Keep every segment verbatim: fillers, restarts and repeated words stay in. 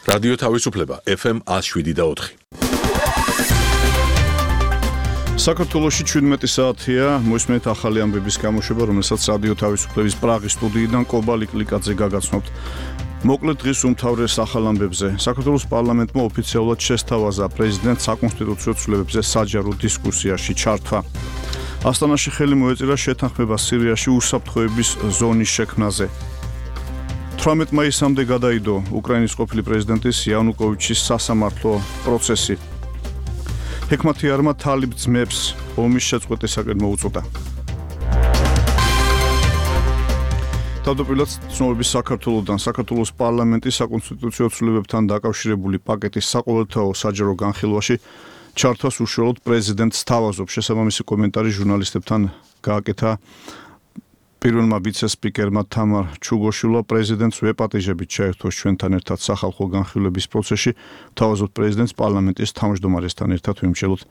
რადიო თავისუფლება ეფ ემ ათს შვიდი და ოთხი. საქართველოში ჩვიდმეტი საათია, მოისმენთ ახალი ამბების გამოშვება, რომელსაც რადიო თავისუფლების პრაღის სტუდიიდან კობალი კლიკაძე გაგაცნობთ. მოკლედ დღის უმთავრეს ახალ ამბებზე. საქართველოს პარლამენტმა ოფიციალურად შესთავაზა პრეზიდენტს საკონსტიტუციო ცვლილებებზე საჯარო დისკუსიაში ჩართვა. ასტანაში ხელი მოეწირა შეთანხმება სირიაში უსაფრთხოების ზონის შექმნაზე. თვრამეტ მაისამდე გადაიდო უკრაინის ყოფილი პრეზიდენტის იანუკოვიჩის სასამართლო პროცესი. ჰექმათიარმა თალიბ ძმებს ომის შეწყვეტისაკენ მოუწოდა. თავდაპირველად ცნობების საქართველოსთან საქართველოს პარლამენტის საკონსტიტუციო ცვლილებებთან დაკავშირებული პაკეტის საყოველთაო საჯარო განხილვაში ჩართვას უშუალოდ პრეზიდენტს თავაზობს. შესაბამისი კომენტარი ჟურნალისტებთან გააკეთა პირველმა ვიცე-სპიკერმა თამარ ჩუგოშვილმა. პრეზიდენტს ვეპატიჟებით ჩაერთოს ჩვენთან ერთად სახალხო განხილვების პროცესში. თავაზობთ პრეზიდენტს პარლამენტის თავმჯდომარესთან ერთად ვიმსჯელოთ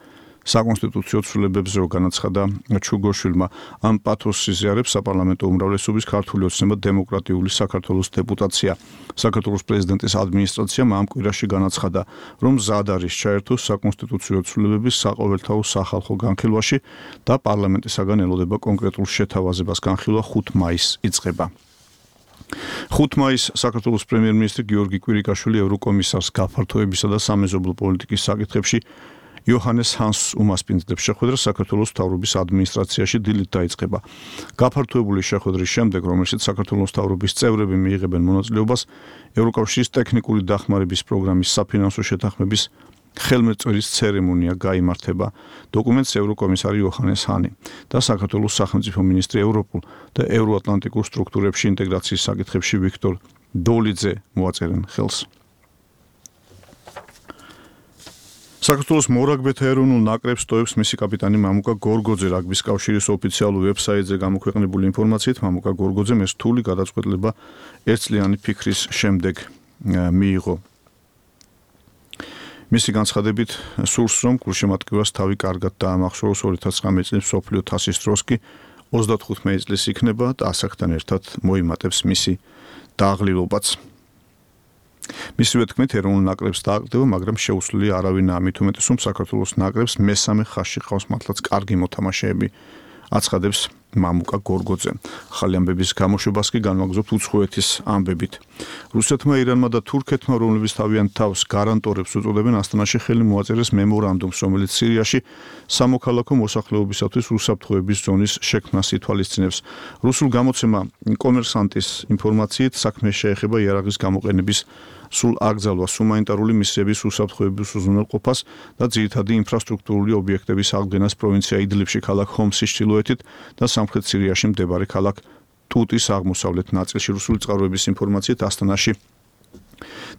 საკონსტიტუციო ცვლილებებზე, რო განაცხადა ჩუგოშვილმა. ამ პათოსს იზიარებს საპარლამენტო უმრავლესობის ქართული ოცნება დემოკრატიული საქართველოს დეპუტაცია. საქართველოს პრეზიდენტის ადმინისტრაციამ ამ კვირაში განაცხადა, რომ მზად არის ჩაერთოს საკონსტიტუციო ცვლილებების საყოველთაო სახალხო განხილვაში და პარლამენტისაგან ელოდება კონკრეტულ შეთავაზებას. განხილვა ხუთ მაისს იწყება. ხუთ მაისს საქართველოს პრემიერ-მინისტრი გიორგი კვირიკაშვილი ევროკომისარს გაფართოებისა და სამეზობლო პოლიტიკის საკითხებში იოჰანეს ჰანსს უმასპინძლებს. შეხვედრა საქართველოს მთავრობის ადმინისტრაციაში დილით დაიწყება. გაფართოებული შეხვედრის შემდეგ, რომელშიც საქართველოს მთავრობის წევრები მიიღებენ მონაწილეობას, ევროკავშირის ტექნიკური დახმარების პროგრამის საფინანსო შეთანხმების ხელმეწვერის ცერემონია გაიმართება. დოკუმენტს ევროკომისარი იოჰანეს ჰანი და საქართველოს სახელმწიფო მინისტრი ევროპულ და ევროატლანტიკურ სტრუქტურებში ინტეგრაციის საკითხებში ვიქტორ დოლიძე მოაწერენ ხელს. საქართველოს მორაგბეთა ეროვნულ ნაკრებს ტოვებს მისი კაპიტანი მამუკა გორგოძე. რაგბის კავშირის ოფიციალურ ვებსაიტზე გამოქვეყნებული ინფორმაციით, მამუკა გორგოძემ ეს რთული გადაწყვეტილება ერთწლიანი ფიქრის შემდეგ მიიღო. მისი განცხადებით, სურს რომ გულშემატკივარს თავი კარგად დაამახსოვროს. ორი ათას ცხრამეტი წლის მსოფლიო თასის დროს კი ოცდათხუთმეტი წლის იქნება და ასაკთან ერთად მოიმატებს მისი დააღლილობაც. მისივე თქმით, ეროვნულ ნაკრებს დააკრდება, მაგრამ შეუცვლელი არავინაა. მით უმეტეს, რომ საქართველოს ნაკრებს მესამე ხაზში ყავს მართლაც კარგი მოთამაშეები, აცხადებს მამუკა გორგოძე. ახალი ამბების გამოშვებას კი განვაგრძობთ უცხოეთის ამბებით. რუსეთმა, ირანმა და თურქეთმა, რომლებიც თავიანთ თავს გარანტორებს უწოდებენ, ასტანაში ხელი მოაწერეს მემორანდუმს, რომელიც სირიაში სამოქალაქო მოსახლეობისათვის უსაფრთხოების ზონის შექმნას ითვალისწინებს. რუსულ გამოცემა კომერსანტის ინფორმაციით, საქმე შეეხება იარაღის გამოყენების სულ აკრძალვას, ჰუმანიტარული მისიების უსაფრთხოების უზრუნველყოფას და ძირითადი ინფრასტრუქტურული ობიექტების აღდგენას პროვინცია იდლიბში, ქალაქ ჰომსის ჩრდილოეთით და სამხრეთ სირიაში მდებარე ქალაქ ტუტის აღმოსავლეთ ნაწილში. რუსული წყაროების ინფორმაციით, ასტანაში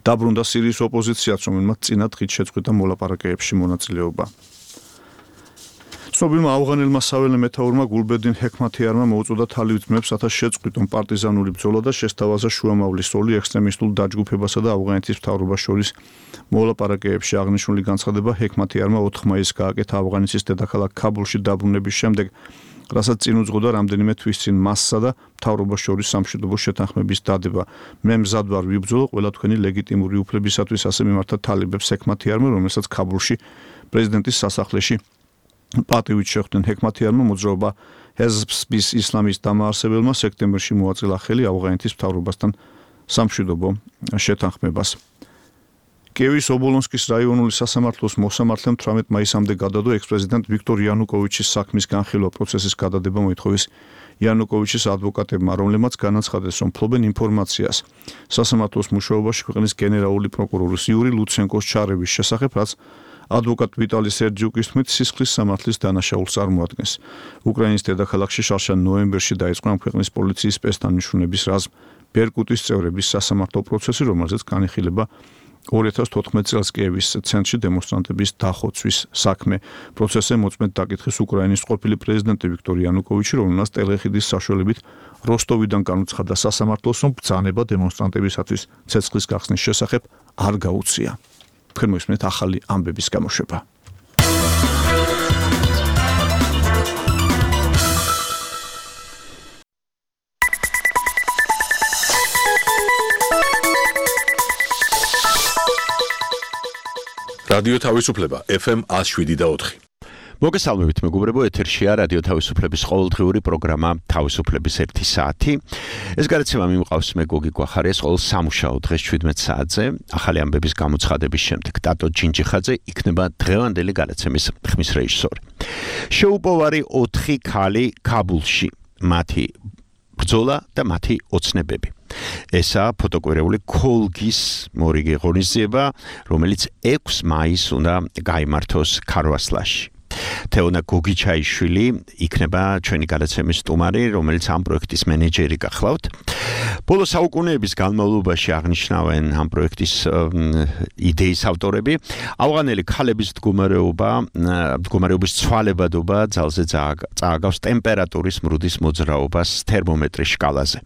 დაბრუნდა სირიის ოპოზიციაც, რომელმაც წინა დღით შეწყვიტა მოლაპარაკებებში მონაწილეობა. ცნობილმა ავღანელმა საველე მეთაურმა გულბედინ ჰექმათიარმა მოუწოდა თალიბ ძმებს, რათა შეწყვიტონ პარტიზანული ბრძოლა და შესთავაზა შუამავლის როლი ექსტრემისტულ დაჯგუფებასა და ავღანეთის მთავრობას შორის მოლაპარაკებებში. აღნიშნული განცხადება ჰექმათიარმა ოთხ მაისს გააკეთა ავღანეთის დედაქალაქ ქაბულში დაბრუნების შემდეგ, რასაც წინ უძღოდა რამდენიმე თვის წინ მასსა და მთავრობას შორის სამშვიდობო შეთანხმების დადება. მე მზად ვარ ვიბრძოლო ყველა თქვენი ლეგიტიმური უფლებისათვის, ასე მიმართა თალიბებს ჰექმათიარმა, რომელსაც ქაბულში პრეზიდენტის სასახლეში პატივით შეხვდნენ. ჰექმათიარმა მოძრაობა ჰეზბის ისლამის დამაარსებელმა სექტემბერში მოაწილა ხელი ავღანეთის მთავრობასთან სამშვიდობო შეთანხმებას. კიევის ობოლონსკის რაიონული სასამართლოს მოსამართლემ თვრამეტ მაისამდე გადადო ექს-პრეზიდენტ ვიქტორ იანუკოვიჩის საქმის განხილვა პროცესის გადადება მოითხოვეს იანუკოვიჩის ადვოკატებმა, რომლებმაც განაცხადეს, რომ ფლობენ ინფორმაციას სასამართლოს მუშაობაში ქვეყნის გენერალური პროკურორის იური ლუცენკოს ჩარევის შესახებ, რაც ადვოკატ ვიტალი სერჯიუკის თქმით სისხლის სამართლის დანაშაულს წარმოადგენს. უკრაინის დედაქალაქში შარშან ნოემბერში დაიწყო ამ ქვეყნის პოლიციის სპეცდანიშნულების რაზმ ბერკუტის წევრების სასამართლო პროცესი, რომელზეც განიხილება ორი ათას თოთხმეტი წელს კიევის ცენტრში დემონსტრანტების დახოცვის საქმე. პროცესზე მოწმედ დაკითხეს უკრაინის ყოფილი პრეზიდენტი ვიქტორ იანუკოვიჩი, რომელმაც ტელეხიდის საშუალებით როსტოვიდან განუცხადა სასამართლოს, რომ ბრძანება დემონსტრანტებისათვის ცეცხლის გახსნის შესახებ არ გაუწია. თქვენ მოისმენთ ახალი ამბების გამოშვება. რადიო თავისუფლება ეფ ემ one oh seven point four. მოგესალმებით მეგობრებო, ეთერშია რადიო თავისუფლების ყოველდღიური პროგრამა თავისუფლების ერთი საათი. ეს გარეთება მიმყავს მე გოგი გვახარიას ყოველ სამუშაო დღეს seventeen საათზე. ახალი ამბების გამოცხადების შემდეგ ტატო ჯინჯიხაძე იქნება დღევანდელი გადაცემის ხმის რეჟისორი. შეუპოვარი ოთხი ქალი ქაბულში, მათი ბრძოლა და მათი ოცნებები. ესა ფოტოკვირეული ქოლგის მორიგი ღონისძიება, რომელიც ექვსი მაისს უნდა გაიმართოს ქარვასლაში. თეონა გოგიჩაიშვილი იქნება ჩვენი გადაცემის სტუმარი, რომელიც ამ პროექტის მენეჯერი გახლავთ. ბოლო საუკუნეების განმავლობაში აღნიშნავენ ამ პროექტის იდეის ავტორები. ავღანელი ქალების მდგომარეობა, მდგომარეობის ცვალებადობა ძალზე წააგავს ტემპერატურის მრუდის მოძრაობას თერმომეტრის შკალაზე.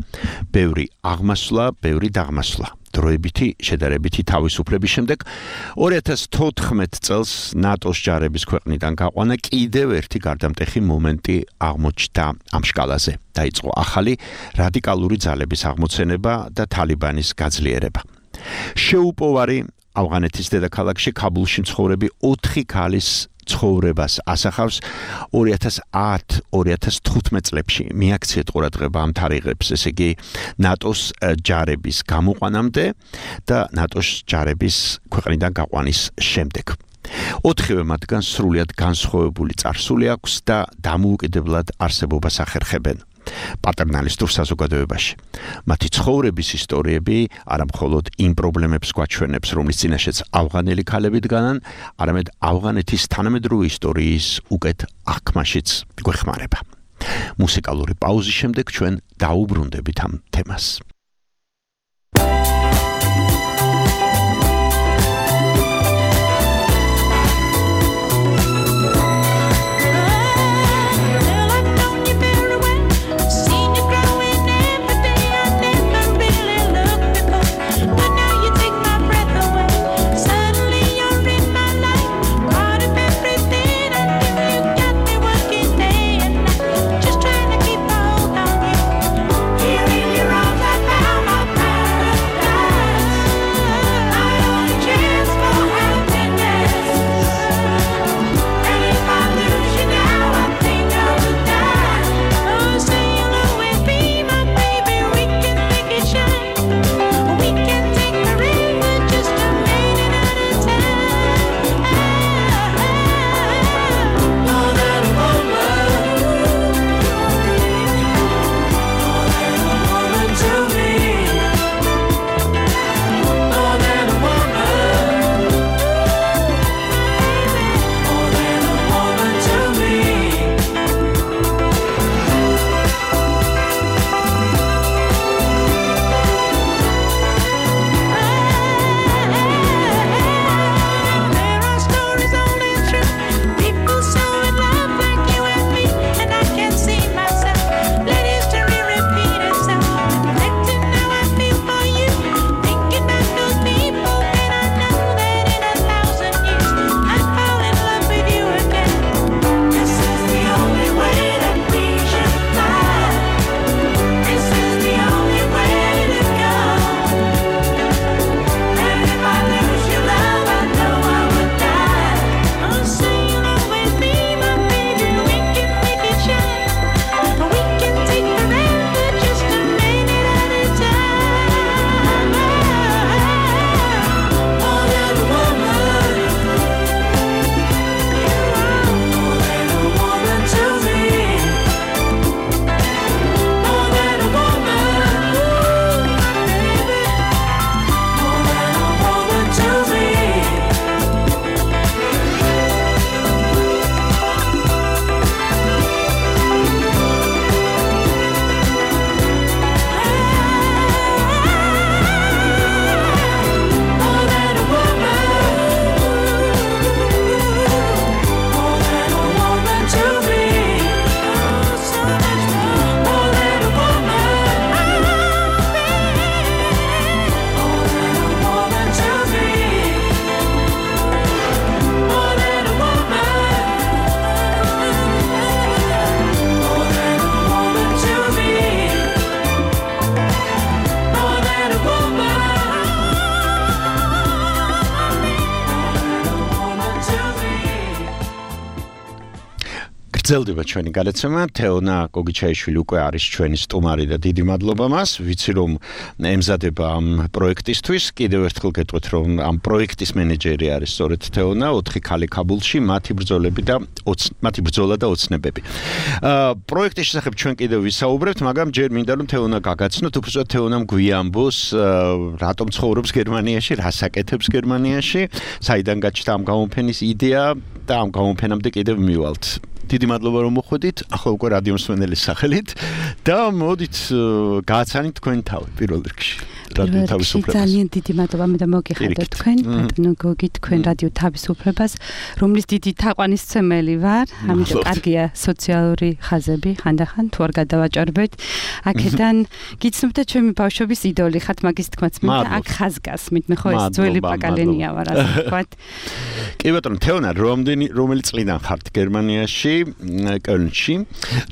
ბევრი აღმასვლა, ბევრი დაღმასვლა. დროებითი შედარებითი თავისუფლების შემდეგ two thousand fourteen წელს ნატოს ჯარების ქვეყნიდან გაყვანა კიდევ ერთი გარდამტეხი მომენტი აღმოჩნდა ამ შკალაზე. დაიწყო ახალი რადიკალური ძალების აღმოცენება და თალიბანის გაძლიერება. შეუპოვარი ავღანეთის დედაქალაქში ქაბულში მცხოვრები ოთხი ქალის ცხოვრებას ასახავს two thousand ten two thousand fifteen წლებში. მიაქციეთ ყურადღება ამ თარიღებს, ესე იგი ნატოს ჯარების გამოყვანამდე და ნატოს ჯარების ქვეყნიდან გაყვანის შემდეგ. ოთხივე მათგან სრულიად განსხვავებული წარსული აქვს და დამოუკიდებლად არსებობას ახერხებენ პატერნალისტურ საზოგადოებაში. მათი ცხოვრების ისტორიები არა მხოლოდ იმ პრობლემებს გვაჩვენებს, რომლის წინაშეც ავღანელი ქალები დგანან, არამედ ავღანეთის თანამედროვე ისტორიის უკეთ აღქმაშიც გვეხმარება. მუსიკალური პაუზის შემდეგ ჩვენ დაუბრუნდებით ამ თემას. Here in your arms I გრძელდება ჩვენი გადაცემა. თეონა გოგიჩაიშვილი უკვე არის ჩვენი სტუმარი და დიდი მადლობა მას. ვიცი რომ ემზადება ამ პროექტისთვის. კიდევ ერთხელ გეტყვით რომ ამ პროექტის მენეჯერი არის სწორედ თეონა, ოთხი ქალი ქაბულში, მათი ბრძოლები და მათი ბრძოლა და ოცნებები. აა პროექტის შესახებ ჩვენ კიდევ ვისაუბრებთ, მაგრამ ჯერ მინდა რომ თეონა გაგაცნოთ, უბრალოდ თეონამ გვიამბოს რატომ ცხოვრობს გერმანიაში, რას აკეთებს გერმანიაში, საიდან გაჩნდა ამ გამოფენის იდეა და ამ გამოფენამდე კიდევ მივალთ. დიდი მადლობა რომ მოხვედით, ახლა უკვე რადიო მსმენელის სახელით და მოდით გააცანით თქვენი თავი პირველ რიგში. რადიო თავისუფლებას. ძალიან დიდი მადლობა მე და მოგიხადოთ თქვენ, ბატონო გოგი, თქვენ რადიო თავისუფლებას, რომლის დიდი თაყვანისმცემელი ვარ, ამიტომ კარგია სოციალური ხაზები, ხანდახან თუ არ გადავაჭარბეთ. აქედან გიცნობთ ჩემი ბავშვობის იდოლი ხართ მაგის თქმაც მე და აქ ხაზგასმით, მე ხო ეს ძველი პაკალენია ვარ, ასე ვთქვათ. კი ბატონო, თეონა, რომელი რომელი წლიდან ხართ გერმანიაში, კოლნში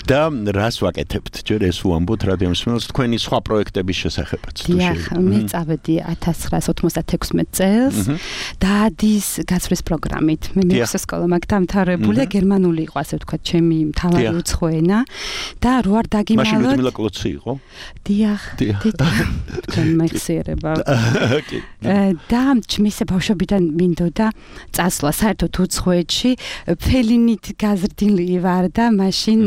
და რას ვაკეთებთ? ჯერ ეს უამბოთ რადიო მსმენელს თქვენი სხვა პროექტების შესახებაც თუ შეიძლება. მე წავედი ათას ცხრაას ოთხმოცდათექვსმეტ წელს დადის გაცვლის პროგრამით. მე მეექვსე სკოლა მაგ დამთავრებულია, გერმანული იყო ასე ვთქვათ, ჩემი მთავარი უცხო ენა და რო არ დაგიმალოთ. მაშინ ლუდმილა კლოცი იყო? დიახ, თქვენ მეხსიერება. და ჩემს ბავშვობიდან მინდოდა წასვლა საერთოდ უცხოეთში, ფელინით გაზრდილი ვარ და მაშინ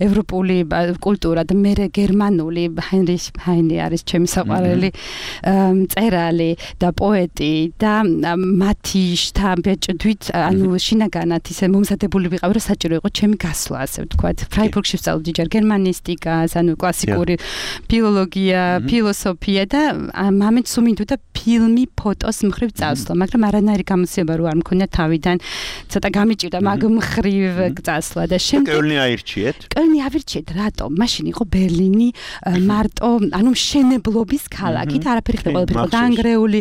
ევროპული კულტურა და მე გერმანული ჰაინრიხ ჰაინე არის ჩემი საყვარელი მწერალი და პოეტი და მათი შთაბეჭდვით ანუ შინაგანად ისე მომზადებული ვიყავი რომ საჭირო იყო ჩემი გასვლა ასე ვთქვათ. ფრაიბურგში ვსწავლობდი ჯერ გერმანისტიკას, ანუ კლასიკური ფილოლოგია, ფილოსოფია და მამეთ სულ მინდოდა ფილმი, ფოტოს მხრივ წასვლა, მაგრამ არანაირი გამოცდილება რო არ მქონია თავიდან, ცოტა გამიჭირდა მაგ მხრივ წასვლა და შემდეგ კოლნი აირჩიეთ? კოლნი ავირჩიეთ, რატომ? მაშინ იყო ბერლინი მარტო, ანუ მშენებლობის ქალაქი და არაფერი ხდება, ყველაფერი იყო დაანგრეული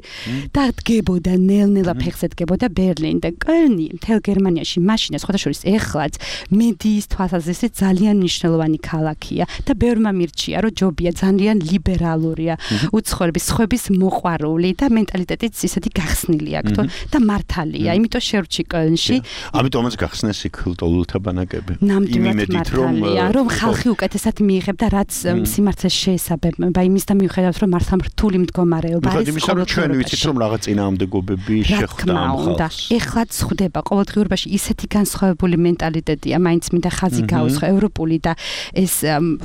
და დგებოდა ნელ-ნელა ფეხზე დგებოდა ბერლინი და კოლნი მთელ გერმანიაში მაშინ სხვადასხვა ეხლაც მედიის თვალსაზრისით ძალიან მნიშვნელოვანი ქალაქია და ბევრმა მირჩია რომ ჯობია, ძალიან ლიბერალურია, უცხოების სხვების მოყვარული და მენტალიტეტიც ისეთი გახსნილი აქვს და მართალია, იმიტომ შევრჩი კოლნში. ამიტომაც გახსნეს იქ ლტოლულთა ბანაკები. ნამდვილად მართალია, რომ ხალხი უკეთესად მიიღებდა რაც სიმართლეს შეესაბამება, იმის და მიუხედავად რომ მართლა რთული მდგომარეობა არის. იმის რომ ჩვენ ვიცით რომ რაღაც წინააღმდეგობები შეხვდა ამ ხალხს. ეხლაც ხდება ყოველდღიურობაში ისეთი განსხვავებული მენტალიტეტია, მაინც მინდა ხაზი გაუსხო ევროპული და ეს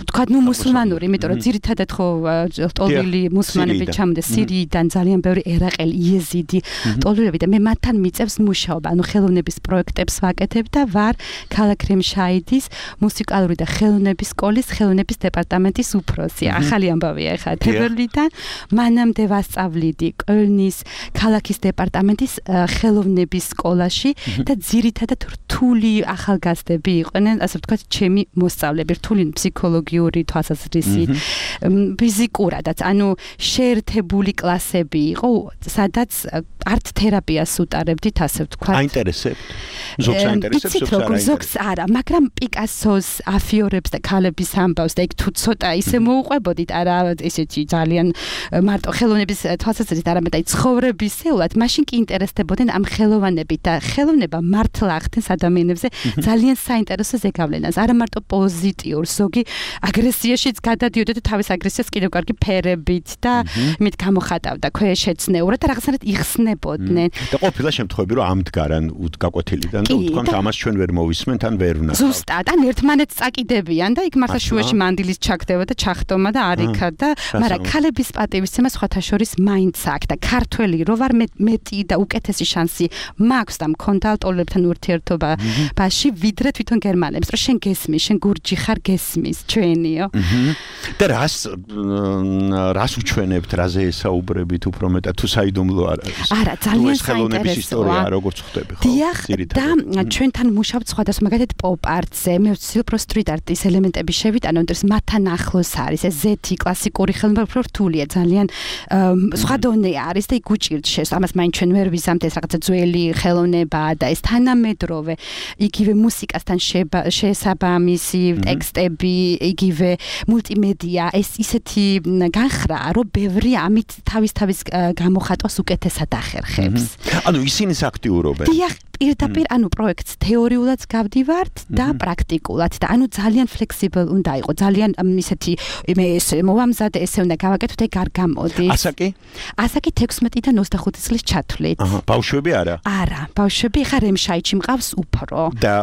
თქვა ნუ მუსულმანური, იმიტომ რომ ძირითადად ხო ტოლილი მუსულმანები ჩამდა სირიიდან, ძალიან ბევრი ერაყელი, იეზიდი, ტოლილები და მე მათთან მიწევს მუშაობა, ანუ ხელოვნების პროექტებს ვაკეთებ და ვარ ქალაქ რემშაიდის მუსიკალური და ხელოვნების სკოლის ხელოვნების დეპარტამენტის უფროსი. ახალი ამბავია ახლა თებერვლიდან. მანამდე ვასწავლიდი კოლნის ქალაქის დეპარტამენტის ხელოვნების სკოლაში და ძირითადად რთული ახალგაზრდები იყვნენ, ასე ვთქვათ, ჩემი მოსწავლეები, რთული ფსიქოლოგიური თვალსაზრისით, ფიზიკურადაც, ანუ შეერთებული კლასები იყო, სადაც არტ თერაპიას უტარებდით, ასე ვთქვათ. აინტერესებთ? ზოგს აინტერესებს, ზოგს არ აინტერესებს. ზოგს არა, მაგრამ პიკასოს αφიორებს და ქალების ამბავს და იქ თუ ცოტა ისე მოუყვებოდით, არა ესეთი ძალიან მარტო ხელოვნების თვალსაზრისით, არამედ აი ცხოვრებისეულად, მაშინ კი ინტერესდებოდნენ ამ ხელოვანებით და ხელოვნება მართლა ახდენს ადამიანებზე ძალიან საინტერესო ზეგავლენას. არა მარტო პოზიტიურ, ზოგი აგრესიაშიც გადადიოდა და თავის აგრესიას კიდევ კარგი ფერებით და იმით გამოხატავდა ქვეშეცნეურად და რაღაცნაირად იხსნებოდნენ. და ყოფილა შემთხვევები, რომ ამდგარან უთგაკოთილიდან და უთქვამთ ამას ჩვენ ვერ მოვისმენთ ან ვერ ვნახავთ. ზუსტად, ან ერთმანეთს წაკიდებიან და იქ მართლა შუაში მანდილის ჩაგდება და ჩახტომა და არ იქა და მაგრამ ქალების პატივისცემა სხვათა შორის მაინც აქვს და ქართველი რო ვარ მეტი და უკეთესი შანსი მაქვს და მქონდა ტოლებთან ურთიერთობაში ვიდრე თვითონ გერმანებს, რომ შენ გესმის, შენ გურჯი ხარ გესმის, ჩვენიო. და რას რას უჩვენებთ, რაზე ესაუბრებით უფრო მეტად თუ საიდუმლო არ არის? არა, ძალიან საინტერესოა. ხელოვნების ისტორია როგორც ხვდები, ხო? დიახ, და ჩვენთან მუშაობთ სხვადასხვა მაგალითად პოპ-არტზე, მე ვცდილობ რომ სტრიტ არტის ელემენტები შევიტანო, იმიტომ რომ მათთან ახლოს არის ეს ზეთი კლასიკური ხელოვნება, უფრო რთულია, ძალიან სხვა დონე არის და იქ უჭირთ ამას მაინც ჩვენ ვერ ვიზამთ ეს რაღაცა ძველი ხელოვნება და ეს თანამედროვე იგივე მუსიკასთან შესაბამისი ტექსტები, იგივე მულტიმედია, ეს ისეთი განხრა, რომ ბევრი ამით თავის თავის გამოხატვას უკეთესად ახერხებს. ანუ ისინი აქტიურობენ. დიახ, პირდაპირ ანუ პროექტს თეორიულად გავდივართ და პრაქტიკულად და ანუ ძალიან flexible უნდა იყო ძალიან ისეთი მე ეს მოვამზადე ესე უნდა გავაკეთოთ ეგ არ გამოდის ასაკი ასაკი თექვსმეტიდან ოცდახუთი წლის ჩათვლით აჰა ბავშვები არა არა ბავშვები ხა რემშაიჩი მყავს უფრო და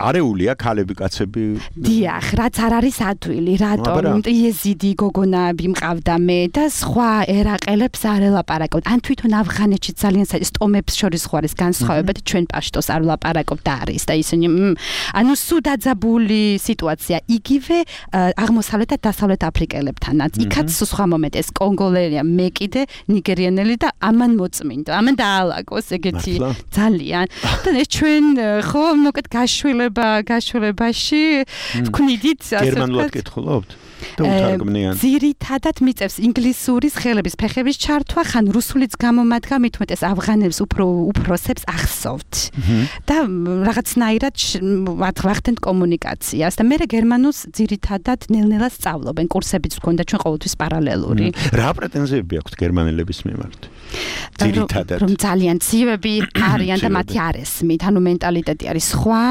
არეულია ქალები კაცები დიახ რაც არ არის ადვილი რატომ იეზიდი გოგონები მყავდა მე და სხვა ერაყელებს არ ელაპარაკობთ ან თვითონ ავღანეთში ძალიან სტომებს შორის ხო არის განსხვავება და ჩვენ პაშტოს არ ვლაპარაკობთ არის და ისინი ანუ სულ დაძაბული სიტუაცია იგივე აღმოსავლეთ და დასავლეთ აფრიკელებთანაც იქაც სხვა მომენტ ეს კონგოლელია მე კიდე ნიგერიანელი და ამან მოწმინდა ამან დაალაგოს ეგეთი ძალიან და ეს ჩვენ ხო მოკეთ გაშვილება გაშვილებაში ვქნიდით გერმანულად კითხულობთ და უთარგმნიან ძირითადად მიწევს ინგლისურის ხელების ფეხების ჩართვა ხან რუსულიც გამომადგა მით უმეტეს ავღანელს უფრო უფროსებს ახსოვთ და რაღაცნაირად ვახდენთ კომუნიკაციას და მე გერმანულს ძირითადად ნელ-ნელა სწავლობენ კურსებიც გქონდა ჩვენ ყოველთვის პარალელური რა პრეტენზიები აქვთ გერმანელების მიმართ ძირითადად რომ ძალიან ცივები არიან და მათი არ ესმით ანუ მენტალიტეტი არის სხვა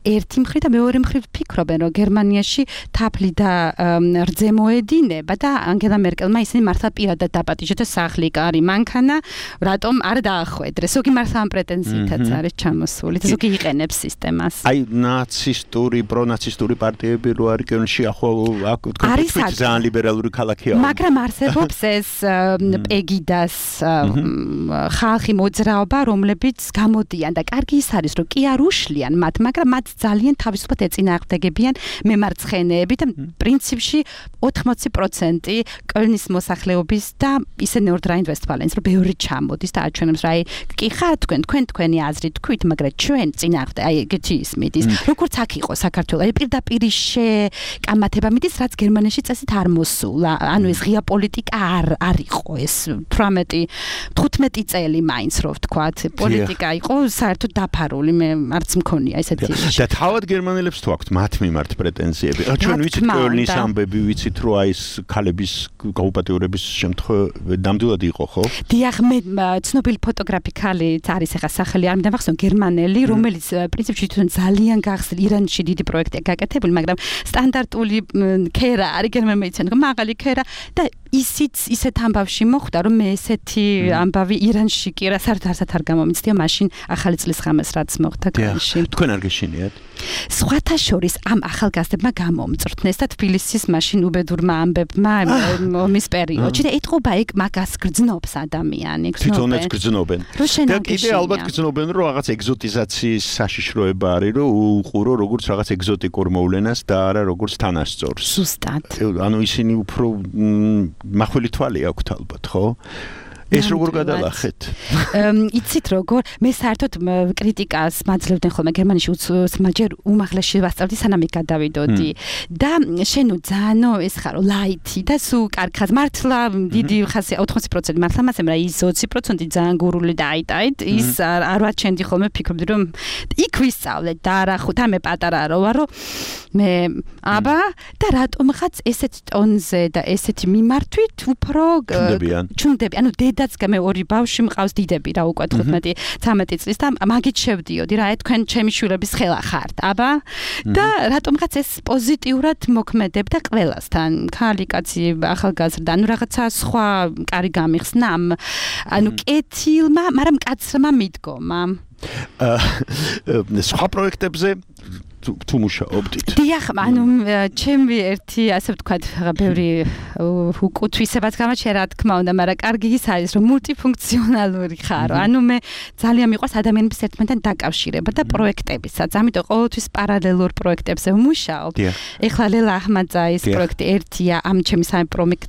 ერთი მხრივ და მეორე მხრივ ფიქრობენ რომ გერმანიაში თაფლი და რძე მოედინება და ანგელა მერკელმა ისინი მართლა პირადად დაპატიჟა და სახლი კარი მანქანა რატომ არ დაახვედრეს ზოგი მართლა ამ პრეტენზიითაც არის ჩამოსული და ზოგი იყენებს სისტემას აი ნაცისტური პრონაცისტური პარტიები რო არის კელნში ახო აქ თქვენ ძალიან ლიბერალური ქალაქია მაგრამ არსებობს ეს პეგიდას ხალხი მოძრაობა რომლებიც გამოდიან და კარგი ის არის რომ კი არ უშლიან მათ მაგრამ მათ ძალიან თავისუფლად ეწინააღმდეგებიან მემარცხენეები და პრინციპში ოთხმოცი პროცენტი კოლნის მოსახლეობის და ისე ნორდრაინ-ვესტფალენს რომ ბევრი ჩამოდის და აჩვენებს რა აი კი ხარ თქვენ თქვენ თქვენი აზრი თქვით მაგრამ ჩვენ წინააღმდეგ აი ეგეთი ისმით ის როგორც აქ იყო საქართველოს აი პირდაპირ შეკამათება მიდის რაც გერმანიაში წესით არ მოსულა ანუ ეს ღია პოლიტიკა არ არ იყო ეს თვრამეტი თხუთმეტი წელი მაინც რო ვთქვათ პოლიტიკა იყო საერთოდ დაფარული მე არც მქონია ესეთი და თავად გერმანელებს თუ აქვთ მათ მიმართ პრეტენზიები. ჩვენ ვიცით კოლნის ამბები, ვიცით რომ აი ეს ქალების გაუპატიურების შემთხვევა ნამდვილად იყო, ხო? დიახ, მე ცნობილი ფოტოგრაფი ქალი არის ახლა სახელი არ მიდამახსოვრ გერმანელი, რომელიც პრინციპში თვითონ ძალიან გახსნილ ირანში დიდი პროექტია გაკეთებული, მაგრამ სტანდარტული ქერა არის გერმანელი მეცენ, მაღალი ქერა და ისიც ისეთ ამბავში მოხვდა რომ მე ესეთი ამბავი ირანში კი რა საერთოდ არ გამომიცდია მაშინ ახალი წლის ღამეს რაც მოხდა კოლნში. თქვენ არ გეშინიათ? სხვათა შორის ამ ახალგაზრდებმა გამომწრთნეს და თბილისის მაშინ უბედურმა ამბებმა ომის პერიოდში და ეთყობა ეგ მაგას გრძნობს ადამიანი გრძნობენ თვითონაც გრძნობენ და კიდე ალბათ გრძნობენ რომ რაღაც ეგზოტიზაციის საშიშროება არის რომ უყურო როგორც რაღაც ეგზოტიკურ მოვლენას და არა როგორც თანასწორს ზუსტად ანუ ისინი უფრო მახვილი თვალი აქვთ ალბათ ხო ეს როგორ გადალახეთ? იცით როგორ მე საერთოდ კრიტიკას მაძლევდნენ ხოლმე გერმანიაში უცმაჯერ უმაღლესში ვასწავლდი სანამ იქ გადავიდოდი და შენო ძანო ეს ხარო ლაითი და სულ კარგ მართლა დიდი ხასი ოთხმოცი პროცენტი მართლა მასემ რა ის ოცი პროცენტი ძალიან გურული და აიტაით ის არ ვაჩენდი ხოლმე ფიქრობდი რომ იქ ვისწავლე და რა ხო და მე პატარა რო ვარო მე აბა და რატომღაც ესეთ ტონზე და ესეთი მიმართვით უფრო ჩუნდები ანუ დედაც მე ორი ბავშვი მყავს დიდები რა უკვე თხუთმეტი ცამეტი წლის და მაგით შევდიოდი რა თქვენ ჩემი შვილების ხელა ხართ აბა და რატომღაც ეს პოზიტიურად მოქმედებდა ყველასთან ქალი კაცი ახალგაზრდა ანუ რაღაცა სხვა კარი გამიხსნა ანუ კეთილმა მაგრამ კაცმა მიდგომა სხვა პროექტებზე თუ მუშაობდით? დიახ, ანუ ჩემი ერთი ასე ვთქვათ, ბევრი უკუთვისებაც გამაჩნია რა თქმა უნდა, მაგრამ კარგი ის არის, რომ მულტიფუნქციონალური ხარო. ანუ მე ძალიან მიყვარს ადამიანების ერთმანეთთან დაკავშირება და პროექტებისაც. ამიტომ ყოველთვის პარალელურ პროექტებზე ვმუშაობ. ეხლა ლელა აჰმაძაის პროექტი ერთია ამ ჩემი სამი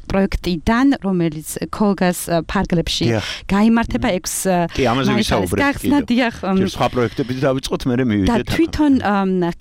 პროექტიდან, რომელიც ქოლგას ფარგლებში გაიმართება ექვს. კი, ამაზე ვისაუბრეთ. გახსნა დიახ. სხვა პროექტები დავიწყოთ, მე მივიდეთ. და თვითონ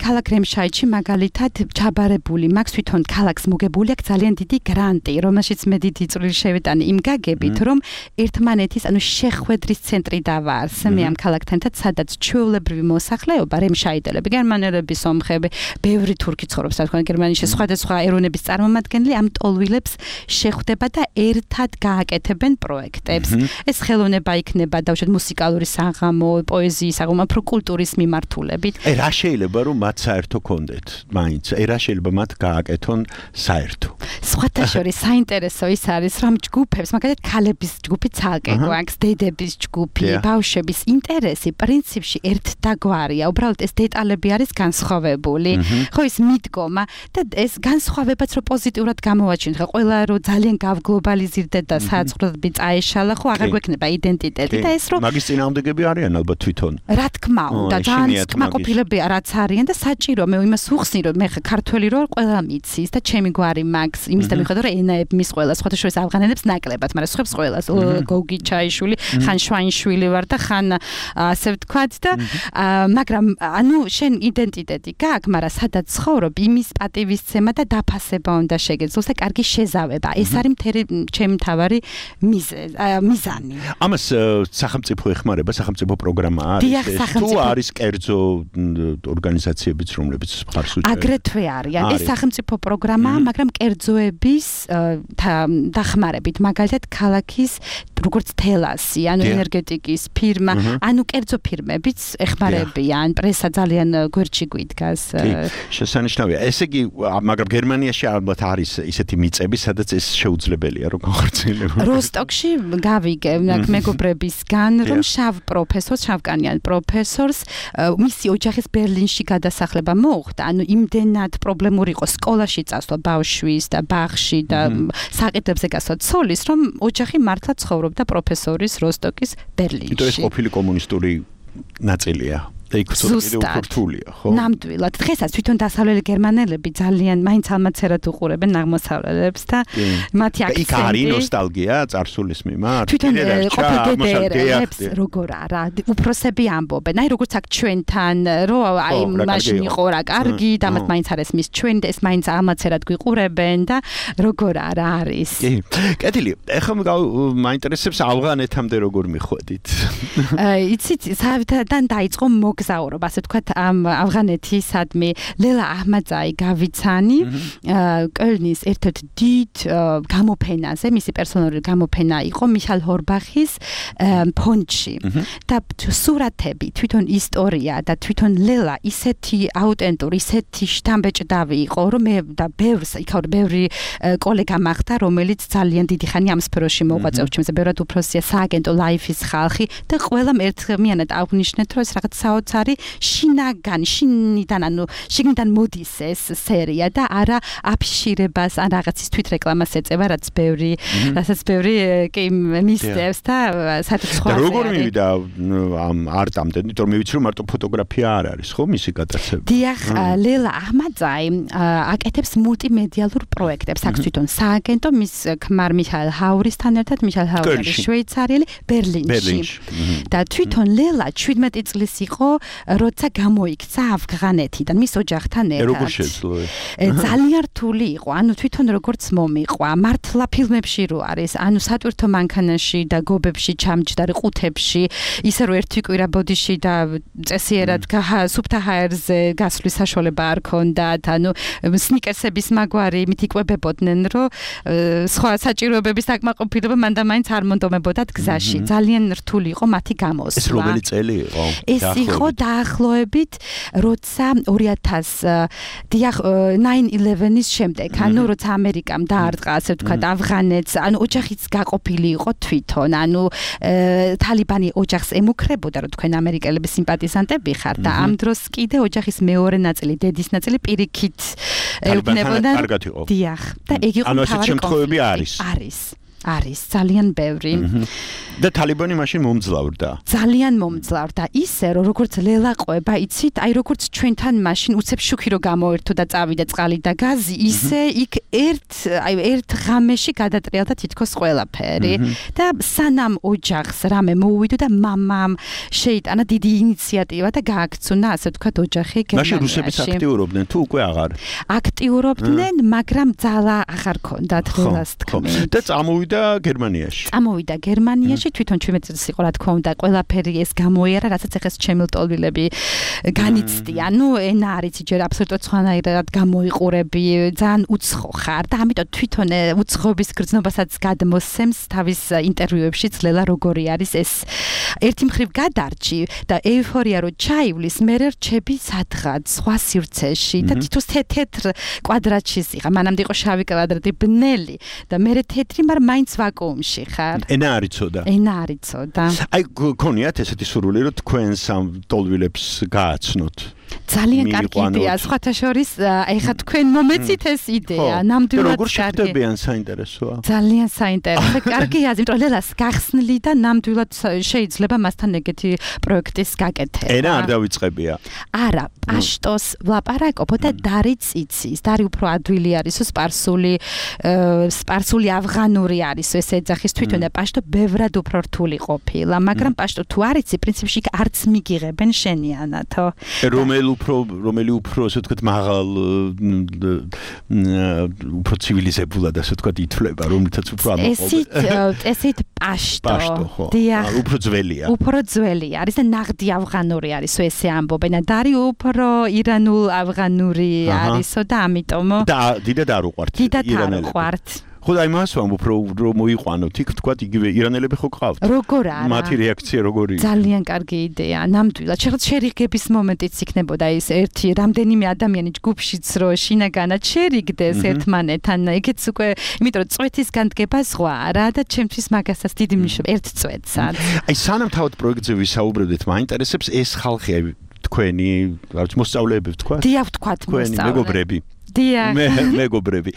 ქალაქ რემშაიჩი მაგალითად ჩაბარებული მაქვს თვითონ ქალაქს მოგებული აქვს ძალიან დიდი გრანტი, რომელშიც მე დიდი წვლილი შევეტანე იმ გაგებით, რომ ერთმანეთის, ანუ შეხვედრის ცენტრი დავაარსე მე ამ ქალაქთან, სადაც ჩვეულებრივი მოსახლეობა, რემშაიდელები, გერმანელები, სომხები, ბევრი თურქი ცხოვრობს, რა თქმა უნდა, გერმანიაში სხვადასხვა ეროვნების წარმომადგენლები ამ ტოლვილებს შეხვდება და ერთად გააკეთებენ პროექტებს. ეს ხელოვნება იქნება დავუშვათ მუსიკალური საღამო, პოეზიის საღამო, უფრო კულტურის მიმართულებით. აი რა შეიძლება რომ მათ საერთო კონდეთ, მაინც, აი რა შეიძლება მათ გააკეთონ საერთო. სხვათა შორის საინტერესო ის არის, რომ ჯგუფებს, მაგალითად ქალების ჯგუფი ცალკე გვაქვს, დედების ჯგუფი, ბავშვების ინტერესი პრინციპში ერთდაგვარია. უბრალოდ ეს დეტალები არის განსხვავებული. ხო ის მიდგომა და ეს განსხვავებაც რო პოზიტიურად გამოვაჩინოთ, ხო ყველა რო ძალიან გავგლობალიზირდეთ და საწყლები წაეშალა, ხო აღარ გვექნება იდენტიტეტი და ეს რო მაგის წინააღმდეგები არიან ალბათ თვითონ. რა თქმა უნდა, ძალიან კმაყოფილებია რაც არიან და საჭირო მე იმას უხსნი რომ მე ქართველი რო ყველა მიცის და ჩემი გვარი მაგს იმის და მიხედავ რომ ენაები მის ყველა სხვათა შორის ავღანელებს ნაკლებად, მაგრამ სხვებს ყველას გოგი ჩაიშვილი, ხან შვაინშვილი ვარ და ხან ასე ვთქვათ და მაგრამ ანუ შენ იდენტიტეტი გაქვს, მაგრამ სადაც ცხოვრობ, იმის პატივისცემა და დაფასება უნდა შეგეძლოს და კარგი შეზავება. ეს არის მთელი ჩემი თავარი მიზანი. ამას სახელმწიფო ეხმარება, სახელმწიფო პროგრამა არის. თუ არის კერძო ორგანიზაციებიც, რომლებიც მხარს უჭერენ. აგრეთვე არიან. ეს სახელმწიფო პროგრამაა, მაგრამ კერძოების დახმარებით, მაგალითად ქალაქის როგორც თელასი, ანუ ენერგეტიკის ფირმა, ანუ კერძო ფირმებიც ეხმარებიან, პრესა ძალიან გვერდში გვიდგას. შესანიშნავია. ესე იგი, მაგრამ გერმანიაში ალბათ არის ისეთი მიწები, სადაც ეს შეუძლებელია რომ განხორციელებო. როსტოკში გავიგე მეგობრებისგან, რომ შავ პროფესორს, შავკანიან პროფესორს მისი ოჯახის ბერლინში გადასახლება მოუხდა. ანუ იმდენად პრობლემური იყო სკოლაში წასვლა ბავშვის და ბაღში და საყიდებზე გასვლა ცოლის, რომ ოჯახი მართლა ცხოვრობდა პროფესორის როსტოკის ბერლინში. იტო ეს ყოფილი კომუნისტური ნაწილია. და იქ უფრო რთულია, ხო? ნამდვილად. დღესაც თვითონ დასავლელი გერმანელები ძალიან მაინც ალმაცერად უყურებენ აღმოსავლელებს და მათი აქცენტი. იქ არის ნოსტალგია წარსულის მიმართ. თვითონ ყოფილ გედერებს როგორ არა, უფროსები ამბობენ. აი როგორც აქ ჩვენთან, რომ აი მაშინ იყო რა კარგი და მათ მაინც არის მის ჩვენ და ეს მაინც ალმაცერად გვიყურებენ და როგორ არა არის. კი. კეთილი. ეხლა მაინტერესებს ავღანეთამდე როგორ მიხვედით? იცით, საერთოდ დაიწყო მოგზაურობა, ასე ვთქვათ, ამ ავღანეთისადმი ლელა აჰმაძაი გავიცანი, კოლნის ერთ-ერთ დიდ გამოფენაზე, მისი პერსონალური გამოფენა იყო მიხაილ ჰორბახის ფონდში. და სურათები, თვითონ ისტორია და თვითონ ლელა ისეთი აუტენტური, ისეთი შთამბეჭდავი იყო, რომ მე და ბევრს, იქაურ ბევრი კოლეგა მახვდა, რომელიც ძალიან დიდი ხანი ამ სფეროში მოღვაწეობს, ჩემზე ბევრად უფროსია სააგენტო ლაიფის ხალხი და ყველამ ერთმიანად აღნიშნეთ, რომ ეს რაღაც საოცარი შინაგან, შინიდან, ანუ შიგნიდან მოდის ეს სერია და არა აფიშირებას, ან რაღაცის თვითრეკლამას ეწევა, რაც ბევრი, რასაც ბევრი კი მისდევს და საერთოდ სხვა. და როგორ მივიდა ამ არტამდე, იმიტომ რომ მე ვიცი რომ მარტო ფოტოგრაფია არ არის, ხო, მისი გატაცება. დიახ, ლელა აჰმაძაი აკეთებს მულტიმედიალურ პროექტებს, აქვს თვითონ სააგენტო მის ქმარ მიხაილ ჰაურისთან ერთად, მიხაილ ჰაური არის შვეიცარიელი, ბერლინში. და თვითონ ლელა შვიდმეტი წლის იყო, როცა გამოიქცა ავღანეთიდან მის ოჯახთან ერთად. როგორ შეძლო? ძალიან რთული იყო, ანუ თვითონ როგორც მომიყვა, მართლა ფილმებში რო არის, ანუ სატვირთო მანქანაში და გობებში ჩამჯდარი ყუთებში, ისე რომ ერთი კვირა ბოდიში და წესიერად სუფთა ჰაერზე გასვლის საშუალება არ ქონდათ, ანუ სნიკერსების მაგვარი იმით იკვებებოდნენ, რომ სხვა საჭიროებების დაკმაყოფილება მან და მაინც არ მონდომებოდათ გზაში. ძალიან რთული იყო მათი გამოსვლა. ეს რომელი წელი იყო? ეს იყო დაახლოებით როცა ორი ათას დიახ nine eleven-ის შემდეგ, ანუ როცა ამერიკამ დაარტყა, ასე ვთქვათ, ავღანეთს, ანუ ოჯახიც გაყოფილი იყო თვითონ, ანუ თალიბანი ოჯახს ემუქრებოდა, რომ თქვენ ამერიკელების სიმპათიზანტები ხართ და ამ დროს კიდე ოჯახის მეორე ნაწილი, დედის ნაწილი პირიქით ეუბნებოდა. კარგად იყო. დიახ. და ეგ იყო ანუ ასეთ შემთხვევები არის. არის. არის ძალიან ბევრი. და თალიბანი მაშინ მომძლავრდა. ძალიან მომძლავრდა. ისე რომ როგორც ლელაყვება, იცით, აი როგორც ჩვენთან მაშინ უცებ შუქი რო გამოერთო და წავიდა წყალი და გაზი, ისე იქ ერთ აი ერთ ღამეში გადატრიალდა თითქოს ყველაფერი. და სანამ ოჯახს რამე მოუვიდო და მამამ შეიტანა დიდი ინიციატივა და გააქცუნა, ასე ვთქვათ, ოჯახი გერმანიაში. მაშინ რუსებიც აქტიურობდნენ თუ უკვე აღარ? აქტიურობდნენ, მაგრამ ძალა აღარ ქონდათ ხელას თქმით. და წამოვიდა გერმანიაში. წამოვიდა გერმანიაში, თვითონ ჩვენც იყო რა თქმა უნდა, ყველაფერი ეს გამოიარა, რასაც ეხეს ჩემილტოლვილები განიცდიან. ნუ ენა არის ჯერ აბსოლუტურად სხვანაირად გამოიყურები, ძალიან უცხო ხარ და ამიტომ თვითონ უცხოების გრძნობასაც გადმოსცემს თავის ინტერვიუებში ძლელა როგორი არის ეს ერთი მხრივ გადარჩი და ეიფორია რო ჩაივლის, მე რჩები სადღაც სხვა სივრცეში და თითოს თეთრ კვადრატში სიღა, მანამდე იყო შავი კვადრატი ბნელი და მე თეთრი, მაგრამ მაინც ვაკუუმში ხარ. ენა არიცოდა. ენა არიცოდა. აი გქონიათ ესეთი სურვილი რომ თქვენს ამ ტოლვილებს გააცნოთ? ძალიან კარგი იდეა, სხვათა შორის, ეხა თქვენ მომეცით ეს იდეა, ნამდვილად კარგი. როგორ შეგხვდებიან, საინტერესოა. ძალიან საინტერესო. კარგია, იმიტომ რომ ლელას გახსნილი და ნამდვილად შეიძლება მასთან ეგეთი პროექტის გაკეთება. ენა არ დავიწყებია. არა, პაშტოს ვლაპარაკობ და დარიც იცის. დარი უფრო ადვილი არის, სპარსული, სპარსული ავღანური არის, ეს ეძახის თვითონ და პაშტო ბევრად უფრო რთული ყოფილა, მაგრამ პაშტო თუ არ იცი, პრინციპში არც მიგიღებენ შენიანათო. რომელი უფრო რომელი უფრო ასე ვთქვათ მაღალ უფრო ცივილიზებულად ასე ვთქვათ ითვლება, რომლითაც უფრო ამოყობენ. ესეთ ესეთ პაშტო. დიახ. უფრო ძველია. უფრო ძველია. არის და ნაღდი ავღანური არისო ესე ამბობენ. დარი უფრო ირანულ ავღანური არისო და ამიტომ და დიდად არ უყვართ ირანელები. დიდად არ უყვართ. ხო და იმას ვამბობ რომ მოიყვანოთ იქ თქვათ იგივე ირანელები ხო ყავთ? როგორ არა? მათი რეაქცია როგორია? ძალიან კარგი იდეა, ნამდვილად. შეხოთ შერიგების მომენტიც იქნებოდა ის ერთი რამდენიმე ადამიანი ჯგუფშიც რო შინაგანად შერიგდეს ერთმანეთთან, ეგეც უკვე, იმიტომ რომ წვეთის განდგება სხვა რა და ჩემთვის მაგასაც დიდი მნიშვნელობა ერთ წვეთსაც. აი სანამ თავად პროექტზე ვისაუბრებდით, მაინტერესებს ეს ხალხი, აი თქვენი, რა ვიცი, მოსწავლეები ვთქვათ? დიახ, ვთქვათ მოსწავლეები. თქვენი მეგობრები. დიახ. მე მეგობრები.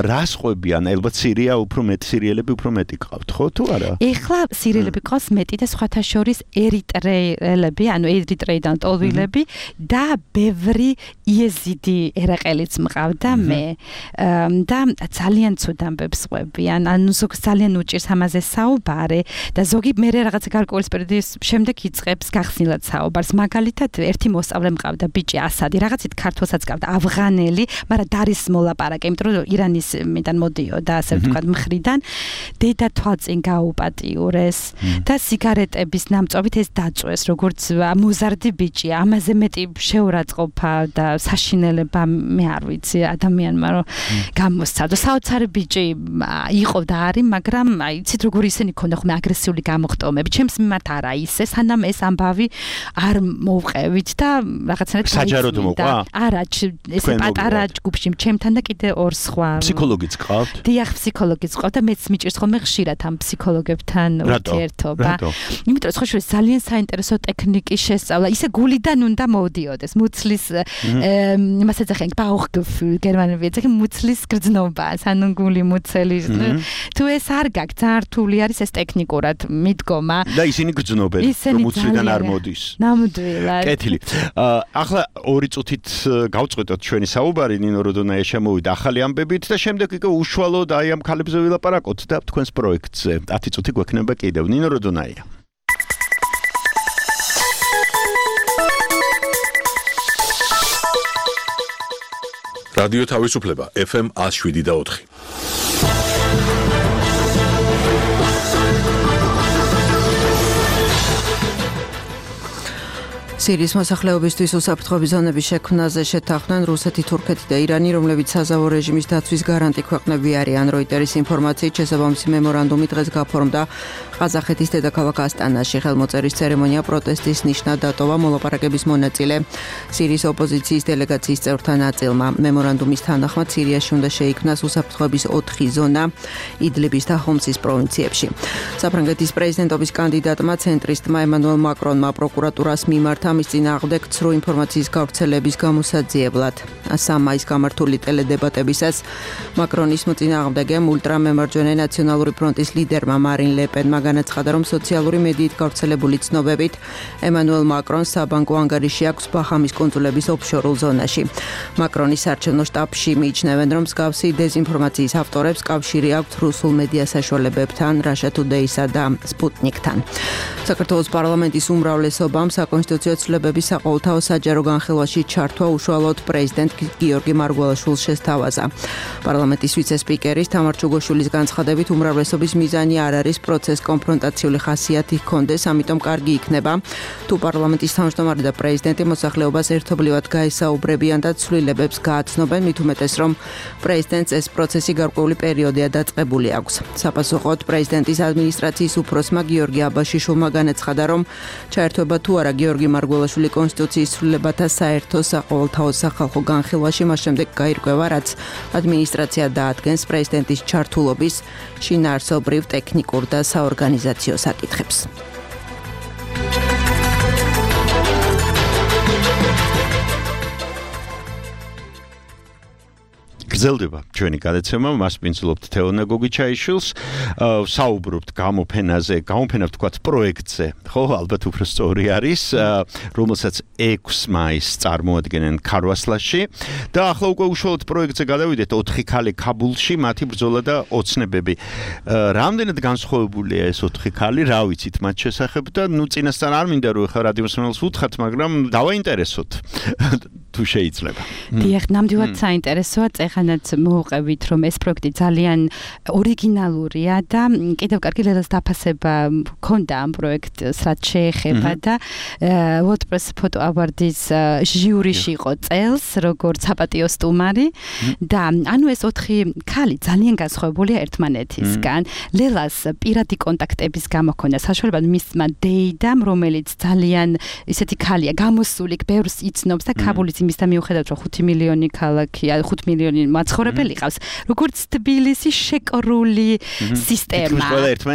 რას ყვებიან? ალბათ სირია უფრო მეტ სირიელები უფრო მეტი ყავთ, ხო თუ არა? ეხლა სირიელები ყავს მეტი და სხვათა შორის ერიტრეელები, ანუ ერიტრეიდან ტოლვილები და ბევრი იეზიდი ერაყელიც მყავდა მე. და ძალიან ცუდ ამბებს ყვებიან. ანუ ზოგს ძალიან უჭირს ამაზე საუბარი და ზოგი მე რაღაცა გარკვეული პერიოდის შემდეგ იწყებს გახსნილად საუბარს. მაგალითად, ერთი მოსწავლე მყავდა ბიჭი ასადი, რაღაცით ქართულსაც ყავდა, ავღანელი, მაგრამ დარის მოლაპარაკე, იმიტომ რომ ირანის მიდან მოდიოდა, ასე ვთქვათ, მხრიდან დედა თვალწინ გაუპატიურეს და სიგარეტების ნამწობით ეს დაწვეს, როგორც მოზარდი ბიჭი, ამაზე მეტი შეურაცხყოფა და საშინელება მე არ ვიცი ადამიანმა რომ გამოსცადო. საოცარი ბიჭი იყო და არის, მაგრამ აი იცით როგორ ისინი ქონდა ხოლმე აგრესიული გამოხტომები. ჩემს მიმართ არა ისე, სანამ ეს ამბავი არ მოვყევით და რაღაცნაირად საჯაროდ მოყვა? არა, ესე პატარა ჯგუფში ჩემთან და კიდე ორ სხვა. ფსიქოლოგიც ყავთ? დიახ, ფსიქოლოგიც ყავთ და მეც მიჭირს ხოლმე ხშირად ამ ფსიქოლოგებთან ურთიერთობა. იმიტომ რომ სხვა შორის ძალიან საინტერესო ტექნიკის შესწავლა, ისე გულიდან უნდა მოვდიოდეს. მუცლის იმას ეძახიან Bauchgefühl, გერმანები ეძახიან მუცლის გრძნობა, ანუ გული მუცელი. თუ ეს არ გაქვს, ძალიან რთული არის ეს ტექნიკურად მიდგომა. და ისინი გრძნობენ, რომ მუცლიდან არ მოდის. ნამდვილად. კეთილი. ახლა ორი წუთით გავწყვეტოთ ჩვენი საუბარი, ნინო როდონაია შემოვიდა ახალი ამბებით და შემდეგ იქ უშუალოდ აი ამ ქალებზე ვილაპარაკოთ და თქვენს პროექტზე. ათი წუთი გვექნება კიდევ. ნინო როდონაია. რადიო თავისუფლება ეფ ემ one oh seven და four. სირიის მოსახლეობისთვის უსაფრთხოების ზონების შექმნაზე შეთანხმდნენ რუსეთი, თურქეთი და ირანი, რომლებიც საზავო რეჟიმის დაცვის გარანტი ქვეყნები არიან. როიტერის ინფორმაციით შესაბამისი მემორანდუმი დღეს გაფორმდა ყაზახეთის დედაქალაქ ასტანაში. ხელმოწერის ცერემონია პროტესტის ნიშნად დატოვა მოლაპარაკების მონაწილე სირიის ოპოზიციის დელეგაციის წევრთა ნაწილმა. მემორანდუმის თანახმად სირიაში უნდა შეიქმნას უსაფრთხოების ოთხი ზონა იდლიბის და ჰომსის პროვინციებში. საფრანგეთის პრეზიდენტობის კანდიდატმა ცენტრისტმა ემანუელ მაკრონმა პროკურატურას მიმართა ამის წინააღმდეგ ცრუ ინფორმაციის გავრცელების გამოსაძიებლად. სამ მაისს გამართული ტელედებატებისას მაკრონის მოწინააღმდეგემ ულტრამემარჯვენე ნაციონალური ფრონტის ლიდერმა მარინ ლე პენმა განაცხადა, რომ სოციალური მედიით გავრცელებული ცნობებით ემანუელ მაკრონს საბანკო ანგარიში აქვს ბაჰამის კუნძულების ოფშორულ ზონაში. მაკრონის საარჩევნო შტაბში მიიჩნევენ, რომ მსგავსი დეზინფორმაციის ავტორებს კავშირი აქვთ რუსულ მედია საშუალებებთან, Russia Today-სა და Sputnik-თან. საქართველოს პარლამენტის უმრავლესობამ საკონსტიტუციო ცვლილებების საყოველთაო საჯარო განხილვაში ჩართვა უშუალოდ პრეზიდენტ გიორგი მარგველაშვილს შესთავაზა. პარლამენტის ვიცე-სპიკერის თამარ ჩუგოშვილის განცხადებით, უმრავლესობის მიზანი არ არის პროცესს კონფრონტაციული ხასიათი ჰქონდეს, ამიტომ კარგი იქნება, თუ პარლამენტის თავმჯდომარე და პრეზიდენტი მოსახლეობას ერთობლივად გაესაუბრებიან და ცვლილებებს გააცნობენ, მით უმეტეს, რომ პრეზიდენტს ეს პროცესი გარკვეული პერიოდია დაწყებული აქვს. საპასუხოდ პრეზიდენტის ადმინისტრაციის უფროსმა გიორგი აბაშიშვილმა განაცხადა, რომ ჩაერთვება თუ არა გიორგი მარგველაშვილი კონსტიტუციის ცვლილებათა საერთო საყოველთაო სახალხო განხილვაში, მას შემდეგ გაირკვევა, რაც ადმინისტრაცია დაადგენს პრეზიდენტის ჩართულობის შინაარსობრივ, ტექნიკურ და საორგანიზაციო საკითხებს. გრძელდება ჩვენი გადაცემა, მას პინძლობთ თეონა გოგიჩაიშვილს, საუბრობთ გამოფენაზე, გამოფენა ვთქვათ პროექტზე, ხო, ალბათ უფრო სწორი არის, რომელსაც ექვსი მაისს წარმოადგენენ ქარვასლაში და ახლა უკვე უშუალოდ პროექტზე გადავიდეთ, ოთხი ქალი ქაბულში, მათი ბრძოლა და ოცნებები. რამდენად განსხვავებულია ეს ოთხი ქალი, რა ვიცით მათ შესახებ და ნუ წინასწარ არ მინდა რომ ხა რადიო მსმენელს უთხრათ, მაგრამ დავაინტერესოთ თუ შეიძლება. დიახ, ნამდვილად საინტერესოა, წეხანაც მოვუყევით, რომ ეს პროექტი ძალიან ორიგინალურია და კიდევ კარგი ლელას დაფასება ჰქონდა ამ პროექტს, რაც შეეხება და WordPress Photo Awards ჟიურიში იყო წელს, როგორც საპატიო სტუმარი და ანუ ეს ოთხი ქალი ძალიან განსხვავებულია ერთმანეთისგან. ლელას პირადი კონტაქტების გამო ჰქონდა საშუალება მისმა დეიდამ, რომელიც ძალიან ისეთი ქალია, გამოსული, ბევრს იცნობს და ქაბულის იმის და მიუხედავად რომ ხუთი მილიონი ქალაქია, ხუთი მილიონი მაცხოვრებელი ყავს, როგორც თბილისი შეკრული სისტემა.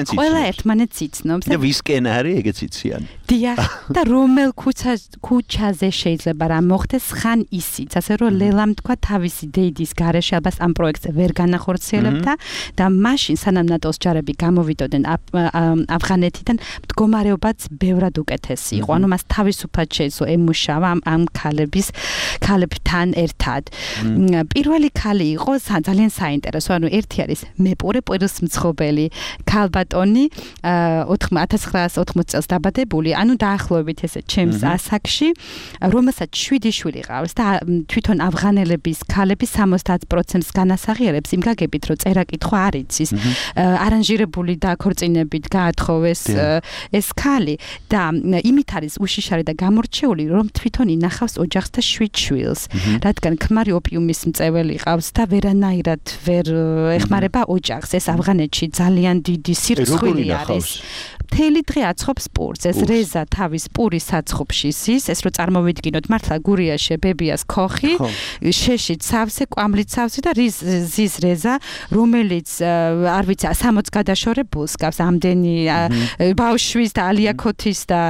ყველა ერთმანეთს იცნობს და ვისკენ არის ეგეც იციან. დიახ, და რომელ ქუჩაზე შეიძლება რა მოხდეს, ხან ისიც, ასე რომ ლელამ თქვა თავისი დეიდის გარეშე ალბათ ამ პროექტზე ვერ განახორციელებდა და მაშინ სანამ ნატოს ჯარები გამოვიდოდნენ ავღანეთიდან, მდგომარეობაც ბევრად უკეთესი იყო. ანუ მას თავისუფლად შეეძლო ემუშავა ამ ქალების ქალებთან ერთად. პირველი ქალი იყო ძალიან საინტერესო, ანუ ერთი არის მეპურე პირისმცხოველი ქალბატონი, ათას ცხრაას ოთხმოცი წელს დაბადებული, ანუ დაახლოებით ესე ჩემს ასაკში, რომელსაც შვიდი შვილი ყავს და თვითონ ავღანელების ქალების სამოცდაათ პროცენტს განასაღიერებს იმ გაგებით, რომ წერა-კითხვა არ იცის. არანჟირებული და ქორწინებით გაათხოვეს ეს ქალი და იმით არის უშიშარი და გამორჩეული, რომ თვითონ ინახავს ოჯახს და შვიდ შვილს, რადგან ქმარი ოპიუმის მწეველი ყავს და ვერანაირად ვერ ეხმარება ოჯახს. ეს ავღანეთში ძალიან დიდი სირცხვილი არის. მთელი დღე აცხობს პურს. ეს რეზა თავის პურის საცხობში ზის, ეს რო წარმოვიდგინოთ, მართლა გურიაში ბებიას ქოხი, შეშიც სავსე, კვამლით სავსე და ზის რეზა, რომელიც არ ვიცი, სამოც გადაშორებულს გავს, ამდენი ბავშვის და ალიაქოთის და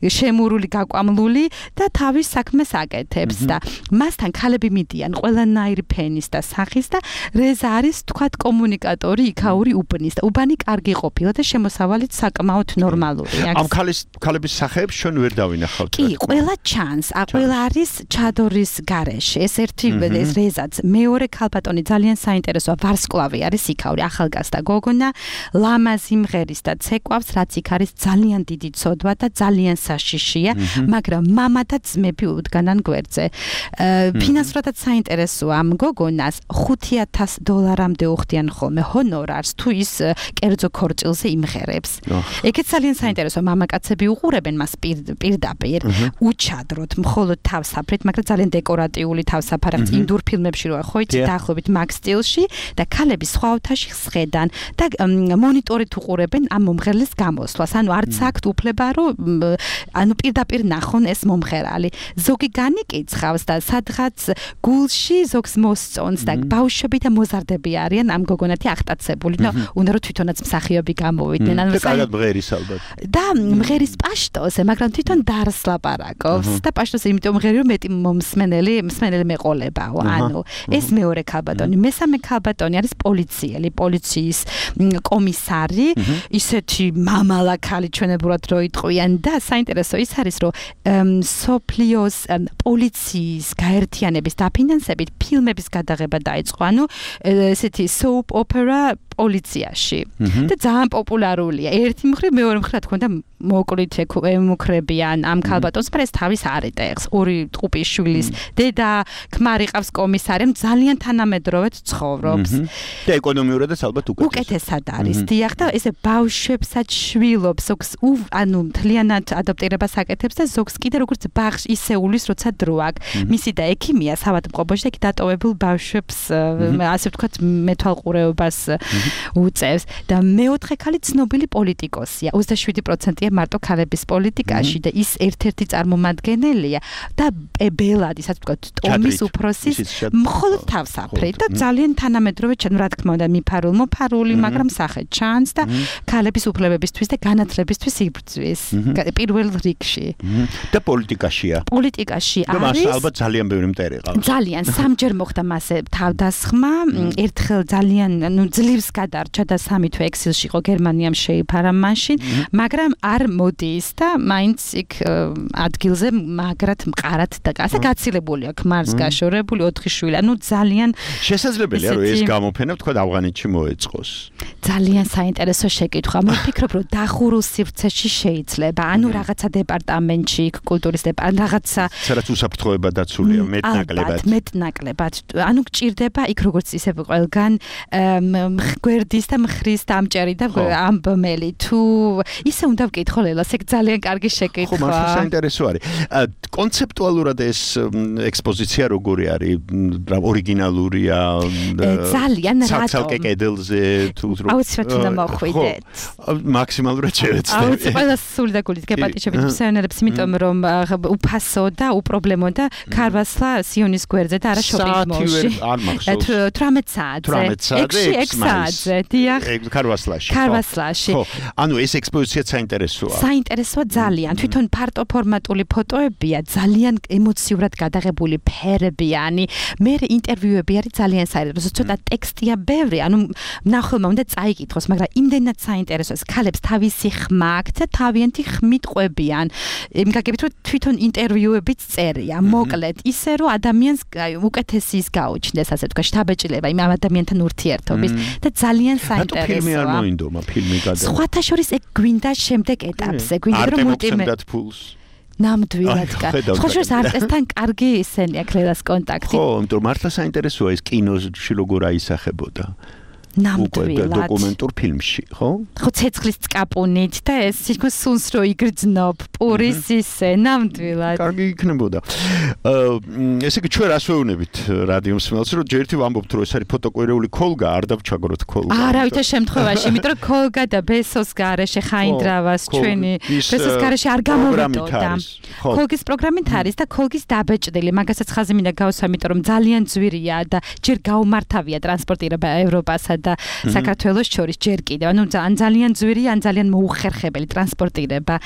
შემურული გაკვამლული და თავის საქმეს აკეთებს და მასთან ქალები მიდიან ყველანაირი ფენის და სახის და რეზა არის თქვათ კომუნიკატორი, იქაური უბნის და უბანი კარგი ყოფილა და შემოსავალიც საკმაოდ ნორმალური. ამ ქალის ქალების სახეებს ჩვენ ვერ დავინახავთ. კი, ყველა ჩანს, ყველა არის ჩადორის გარეშე. ეს ერთი ეს რეზაც, მეორე ქალბატონი ძალიან საინტერესოა, ვარსკვლავი არის იქაური, ახალგაზრდა გოგონა, ლამაზი მღერის და ცეკვავს, რაც იქ არის ძალიან დიდი ცოდვა და ძალიან საშიშია, მაგრამ მამა და ძმები უდგანან გვერდზე. ფინანსურადაც საინტერესოა ამ გოგონას ხუთი ათას დოლარამდე უხდიან ხოლმე ჰონორარს თუ ის კერძო ქორწილზე იმღერებს. ეგეც ძალიან საინტერესოა, მამაკაცები უყურებენ მას პირდაპირ, უჩადროთ, მხოლოდ თავსაფრით, მაგრამ ძალიან დეკორატიული თავსაფარი, ინდურ ფილმებში როა ხო იცი დაახლოებით მაგ სტილში და ქალები სხვა ოთახში სხედან და მონიტორით უყურებენ ამ მომღერლის გამოსვლას. ანუ არც აქვთ უფლება, რომ ანუ პირდაპირ ნახონ ეს მომღერალი. ზოგი განიკიცხა იხავს და სადღაც გულში ზოგს მოსწონს და ბავშვები და მოზარდები არიან ამ გოგონათი აღტაცებული. ნუ უნდა რომ თვითონაც მსახიობი გამოვიდნენ. ანუ კარგად მღერის ალბათ. და მღერის პაშტოზე, მაგრამ თვითონ დარს ლაპარაკობს და პაშტოზე იმიტომ მღერი რომ მეტი მომსმენელი, მსმენელი მეყოლებაო. ანუ ეს მეორე ქალბატონი, მესამე ქალბატონი არის პოლიციელი, პოლიციის კომისარი, ისეთი მამალა ქალი ჩვენებურად რო იტყვიან და საინტერესო ის არის რომ სოფლიოს პოლიციის გაერთიანების დაფინანსებით ფილმების გადაღება დაიწყო. ანუ ესეთი soap opera პოლიციაში და ძალიან პოპულარულია. ერთი მხრივ მეორე მხრივ რა თქმა უნდა მოკლით ემუქრებიან ამ ქალბატონს, მაგრამ ეს თავის არ იტეხს. ორი ტყუპის შვილის დედა, ქმარი ყავს კომისარი, ძალიან თანამედროვე ცხოვრობს. და ეკონომიურადაც ალბათ უკეთესად. უკეთესად არის. დიახ და ესე ბავშვებსაც შვილობს, ზოგს ანუ მთლიანად ადაპტირებას აკეთებს და ზოგს კიდე როგორც ბაღში ისეულის, როცა დრო აქვს. მისი და ექიმია საავადმყოფოში და იქ დატოვებულ ბავშვებს ასე ვთქვათ მეთვალყურეობას უწევს და მეოთხე ქალი ცნობილი პოლიტიკოსია. ოცდაშვიდი პროცენტია მარტო ქალების პოლიტიკაში და ის ერთ-ერთი წარმომადგენელია და ბელადი, ასე ვთქვათ, ტომის უფროსის მხოლოდ თავსაფრით და ძალიან თანამედროვე, რა თქმა უნდა, მიფარულ მოფარული, მაგრამ სახე ჩანს და ქალების უფლებებისთვის და განათლებისთვის იბრძვის პირველ რიგში. და პოლიტიკაშია. პოლიტიკაში არის. და მას არის ალბათ ძალიან ბევრი მტერი ყავს. ძალიან სამჯერ მოხდა მასე თავდასხმა, ერთხელ ძალიან ნუ ძლივს გადარჩა და სამი თვე ექსილში იყო, გერმანიამ შეიფარა მაშინ, მაგრამ არ მოდის და მაინც იქ ადგილზე მაგრად მყარად და ასე გაცილებული აქვს მარს გაშორებული ოთხი შვილი. ანუ ძალიან შესაძლებელია რომ ეს გამოფენა თქვა ავღანეთში მოეწყოს. ძალიან საინტერესო შეკითხვა. მოვფიქრობ რომ დახურულ სივრცეში შეიძლება, ანუ რაღაცა დეპარტამენტში, კულტურის დეპარტამენტში, რაღაცა სადაც უსაფრთხოება დაცულია მეტნაკლებად. მეტნაკლებად. ანუ გჭირდება იქ როგორც ისე ყველგან გვერდის და მხრის დამჭერი და ამბმელი. თუ ისე უნდა ვკითხო ლელას, ეგ ძალიან კარგი შეკითხვა. ხო, მართლა საინტერესო არის. კონცეპტუალურად ეს ექსპოზიცია როგორი არის? ორიგინალურია? ძალიან რატომ? ცალკე კედელზე თუ აუცილებლად უნდა მოხვიდეთ. მაქსიმალურად შევეცდები. აუცილებლად ყველა სული და გულით გეპატიჟებით მსმენელებს, იმიტომ რომ უფასო და უპრობლემო და ქარვასლა სიონის გვერდზე და არა შოპინგ მოლში. არ მახსოვს. თვრამეტ საათზე. ექვსი საათზე. დიახ. ქარვასლაში. ქარვასლაში. ხო, ანუ ეს ექსპოზიცია საინტერესოა. საინტერესოა ძალიან. თვითონ ფარტო ფორმატული ფოტოებია, ძალიან ემოციურად გადაღებული ფერებიანი. მე ინტერვიუები არის ძალიან საინტერესო. ცოტა ტექსტია ბევრი, ანუ ნახელმა უნდა წაიკითხოს, მაგრამ იმდენად საინტერესოა. ქალებს თავისი ხმა აქვს და თავიანთი ხმით ყვებიან. იმ გაგებით რომ თვითონ ინტერვიუებიც წერია, მოკლედ, ისე რომ ადამიანს უკეთესი ის გაუჩნდეს, ასე ვთქვათ, შთაბეჭდილება იმ ადამიანთან ურთიერთობის და ძალიან საინტერესოა. რატო ფილმი არ მოინდომა, ფილმი გადავა? სხვათა შორის ეგ გვინდა შემდეგ ეტაპზე, გვინდა რომ მულტიმე ნამდვილად კარგი. სხვა შორის არტესთან კარგი ისენი აქვს ლელას კონტაქტი. ხო, იმიტომ მართლა საინტერესოა ეს კინოში როგორ აისახებოდა. ნამდვილად დოკუმენტურ ფილმში, ხო? ხო, ცეცხლის წკაპუნით და ეს თითქოს სუნს რო იგრძნობ, პურის ისე, ნამდვილად. კარგი იქნებოდა. ესე იგი ჩვენ რას ვეუბნებით რადიო მსმენელს, რომ ჯერ ერთი ვამბობთ, რომ ეს არის ფოტოკვირეული ქოლგა, არ დავჩაგროთ ქოლგა. არავითარ შემთხვევაში, იმიტომ რომ ქოლგა და ბესოს გარეშე ხაინდრავას ჩვენი ბესოს გარეშე არ გამოვიდოდა. ქოლგის პროგრამით არის და ქოლგის დაბეჭდილი, მაგასაც ხაზი მინდა გავსვა, იმიტომ რომ ძალიან ძვირია და ჯერ გაუმართავია ტრანსპორტირება ევროპასა და საქართველოს შორის ჯერ კიდევ. ანუ ძალიან ძვირია, ან ძალიან მოუხერხებელი ტრანსპორტირება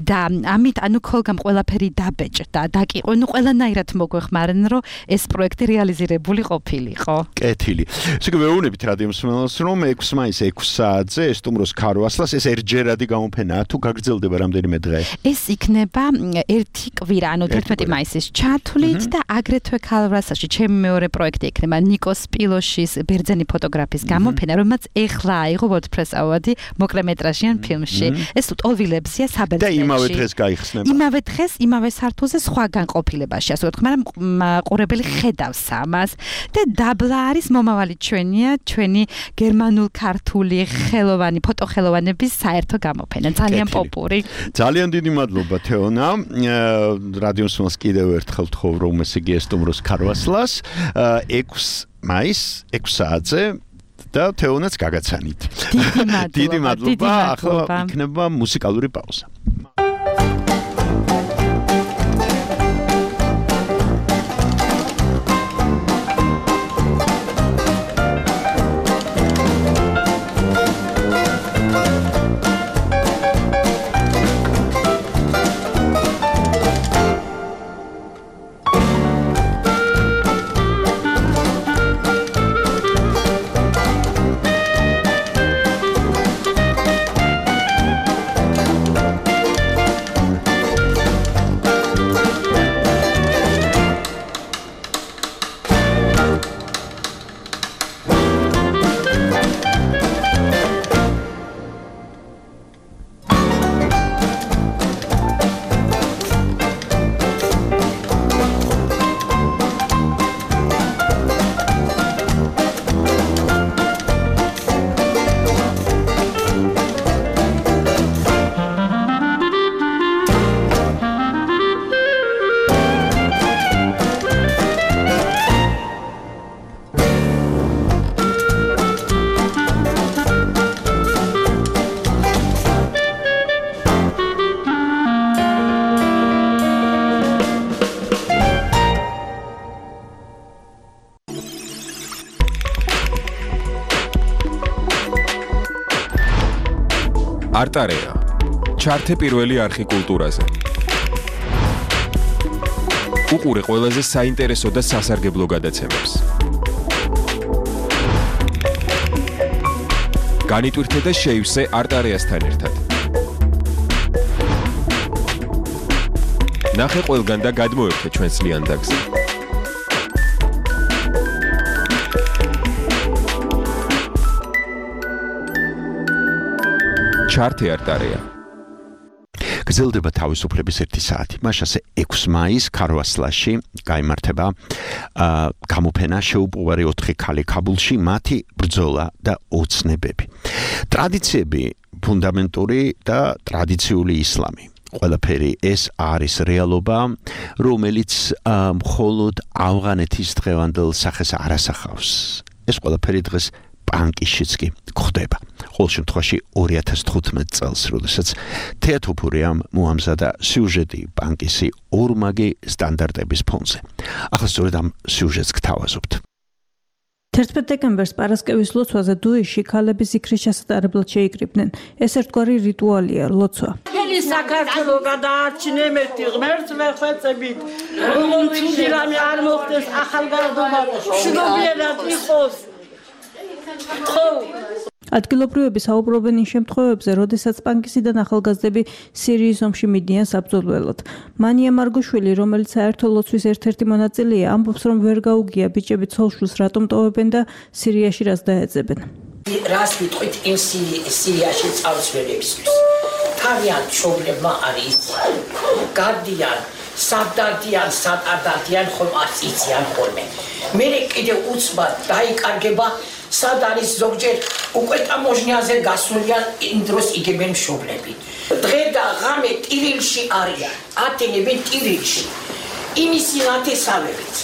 და ამით ანუ ქოლგამ ყველაფერი დაბეჭდა და კი ნუ ყველანაირად მოგვეხმარენ, რომ ეს პროექტი რეალიზირებული ყოფილიყო. კეთილი. ესე იგი ვეუბნებით რადიო მსმენელს, რომ ექვსი მაისს ექვსი საათზე ესტუმროს ქარვასლას ეს ერთჯერადი გამოფენაა, თუ გაგრძელდება რამდენიმე დღე? ეს იქნება ერთი კვირა, ანუ თერთმეტი მაისის ჩათვლით და აგრეთვე ქარვასლაში ჩემი მეორე პროექტი იქნება ნიკოს პილოშის ბერძენი ფოტოგრაფის გამოფენა, რომელმაც ეხლა აიღო ვორდპრეს-ავადი მოკლემეტრაჟიან ფილმში. ეს ტოლვილებზია საბერძნეთში. და იმავე დღეს გაიხსნება. იმავე დღეს, იმავე სართულზე სხვა განყოფილებაში, ასე ვთქვათ, მაგრამ ყურებელი ხედავს ამას და დაბლა არის მომავალი ჩვენია, ჩვენი გერმანულ-ქართული ხელოვანი ფოტოხელოვანების საერთო გამოფენა, ძალიან პოპური. ძალიან დიდი მადლობა თეონა. რადიო მსმენელს კიდევ ერთხელ ვთხოვ, რომ ესე იგი ესტუმროს ქარვასლას ექვსი მაისს ექვსი საათზე და თეონაც გაგაცანით. დიდი მადლობა. ახლა იქნება მუსიკალური პაუზა. არტარეა. ჩართე პირველი არხი კულტურაზე. უყურე ყველაზე საინტერესო და სასარგებლო გადაცემებს. განიტვირთე და შეივსე არტარეასთან ერთად. ნახე ყველგან და გადმოერთე ჩვენს ლიანდაგზე. ჩართე არტარეა. გრძელდება თავისუფლების ერთი საათი. მაშასე ექვსი მაისს ქარვასლაში გაიმართება გამოფენა შეუპოვარი ოთხი ქალი ქაბულში, მათი ბრძოლა და ოცნებები. ტრადიციები, ფუნდამენტური და ტრადიციული ისლამი. ყველაფერი ეს არის რეალობა, რომელიც მხოლოდ ავღანეთის დღევანდელ სახეს არ ასახავს. ეს ყველაფერი დღეს პანკიშიც კი გვხდება. ყოველ შემთხვევაში ორი ათას თხუთმეტ წელს, როდესაც თეატოფურიამ მოამზადა სიუჟეტი პანკისი ორმაგი სტანდარტების ფონზე. ახლა სწორედ ამ სიუჟეტს გთავაზობთ. თერთმეტ დეკემბერს პარასკევის ლოცვაზე დუიში ქალები ზიქრის ჩასატარებლად შეიკრიბნენ. ეს ერთგვარი რიტუალია, ლოცვა. მთელი საქართველო გადაარჩინემეთი ღმერთს ვეხვეწებით. როგორც ცუდი რამე არ მოხდეს ახალგაზრდობა, მშვიდობიერად იყოს. ხო ადგილობრივები საუბრობენ იმ შემთხვევებზე, როდესაც პანკისიდან ახალგაზრდები სირიის ომში მიდიან საბრძოლველად. მანია მარგოშვილი, რომელიც საერთო ლოცვის ერთ-ერთი მონაწილეა, ამბობს, რომ ვერ გაუგია ბიჭები ცოლშვილს რატომ ტოვებენ და სირიაში რას დაეძებენ. რას ვიტყვით იმ სირიაში წავსვენებისთვის. თავიანთ მშობლებმა არის გარდიან, სადადიან, სადადიან ხომ არც იციან ხოლმე. მე კიდევ უცბად დაიკარგება სად არის ზოგჯერ უკვე ტამოჟნიაზე გასულიან იმ დროს იგებენ მშობლები. დღე და ღამე ტირილში არიან, ათენებენ ტირილში. იმისი ნათესავებით.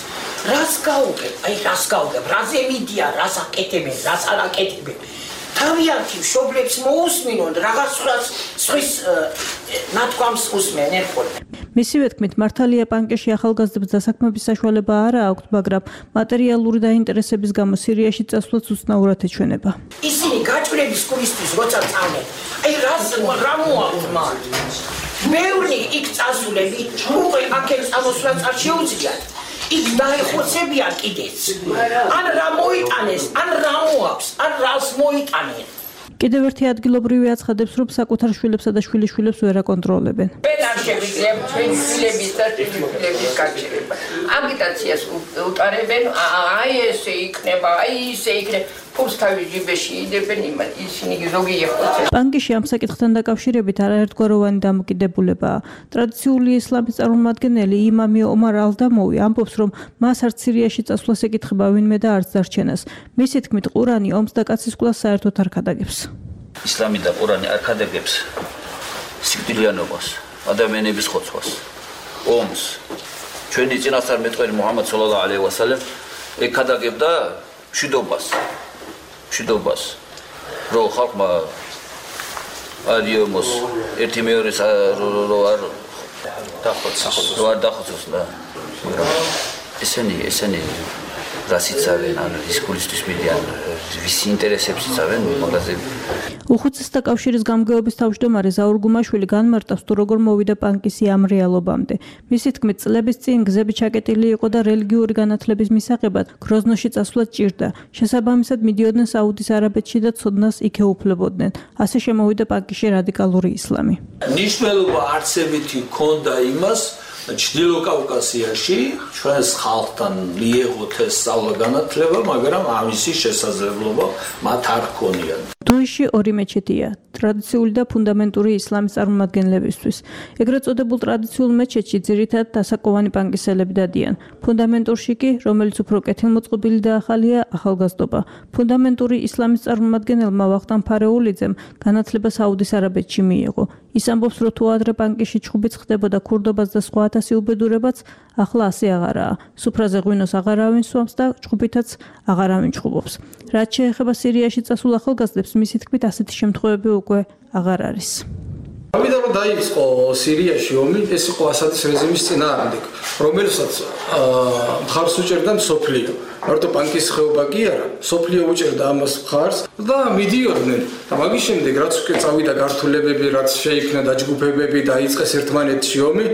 რას გაუგებ? აი რას გაუგებ? რაზე მიდიან, რას აკეთებენ, რას არ აკეთებენ. თავიანთი მშობლებს მოусმინონ, რაღაცას სხვის ნათქვამს უსმენენ ხოლმე. მისივე თქმით, მართალია პანკში ახალგაზრდებს დასაქმების საშუალება არ აქვთ, მაგრამ მატერიალური დაინტერესების გამო სირიაში წასვლაც უცნაურად ეჩვენება. ისინი გაჭვრების გულისთვის როცა წავდნენ, აი რას რა მოაქვს მათ? ბევრი იქ წასულები, უკვე აქეთ წამოსვლაც არ შეუძლიათ. იქ დაეხოცებიან კიდეც. ან რა მოიტანეს, ან რა მოაქვს, ან რას მოიტანენ. კიდევ ერთი ადგილობრივი აცხადებს, რომ საკუთარ შვილებსა და შვილიშვილებს ვერ აკონტროლებენ. ვერ არ შევიძლია ჩვენი შვილების და შვილიშვილების გაჩერება. აგიტაციას უტარებენ, აი ესე იქნება, აი ისე იქნება. ფულს თავის ჯიბეში იდებენ, ისინი ზოგი ეხოცება. პანკიში ამ საკითხთან დაკავშირებით არაერთგვაროვანი დამოკიდებულებაა. ტრადიციული ისლამის წარმომადგენელი იმამი ომარ ალდამოვი ამბობს, რომ მას არც სირიაში წასვლას ეკითხება ვინმე და არც დარჩენას. მისი თქმით, ყურანი ომს და კაცის კვლას საერთოდ არ ქადაგებს. ისლამი და ყურანი არ ქადაგებს სიკვდილიანობას, ადამიანების ხოცვას, ომს. ჩვენი წინასწარმეტყველი მუჰამად სალალაჰუ ალეიჰი ვასალამ ეკადაგებდა მშვიდობას. მშვიდობას, რომ ხალხმა არ იომოს ერთი მეორეს რო არ დახოცოს, რო არ დახოცოს და ესენი, ესენი რას იცავენ, ან ის გულისთვის მიდიან, ვისი ინტერესებს იცავენ, მაგაზე. უხუცესთა კავშირის გამგეობის თავმჯდომარე ზაურ გუმაშვილი განმარტავს, თუ როგორ მოვიდა პანკისი ამ რეალობამდე. მისი თქმით, წლების წინ გზები ჩაკეტილი იყო და რელიგიური განათლების მისაღებად გროზნოში წასვლა ჭირდა. შესაბამისად მიდიოდნენ საუდის არაბეთში და ცოდნას იქ ეუფლებოდნენ. ასე შემოვიდა პანკიში რადიკალური ისლამი. ნიშნულობა არცებითი ჰქონდა იმას, ჩრდილო კავკასიაში ჩვენს ხალხთან მიეღოთ ეს სწავლა განათლება, მაგრამ ამისი შესაძლებლობა მათ არ ჰქონიათ. დუიში ორი მეჩეთია, ტრადიციული და ფუნდამენტური ისლამის წარმომადგენლებისთვის. ეგრეთ წოდებულ ტრადიციულ მეჩეთში ძირითადად დასაკვოვანი პანკისელები დადიან. ფუნდამენტურში კი, რომელიც უფრო კეთილმოწყობილი და ახალია, ახალგაზრდობა. ფუნდამენტური ისლამის წარმომადგენელმა ვახტანგ ფარეულიძემ განათლება საუდის არაბეთში მიიღო. ის ამბობს, რომ თუ ადრე პანკიში ჩხუბიც ხდებოდა ქურდობას და სხვა ათასი უბედურებაც, ახლა ასე აღარაა. სუფრაზე ღვინოს აღარავინ სვამს და ჩხუბითაც აღარავინ ჩხუბობს. რაც შეეხება სირიაში წასულ ახალგაზრდებს, მისი თქმით, ასეთი შემთხვევები უკვე აღარ არის. ამიტომ დაიწყო სირიაში ომი, ეს იყო ასადის რეჟიმის წინააღმდეგ, რომელსაც მხარს უჭერდა მსოფლიო. მარტო ბანკის ხეობა კი არა, სოფლიო უჭერდა ამას მხარს და მიდიოდნენ. და მაგის შემდეგ რაც უკვე წავიდა გართულებები, რაც შეიქმნა დაჯგუფებები, დაიწყეს ერთმანეთში ომი,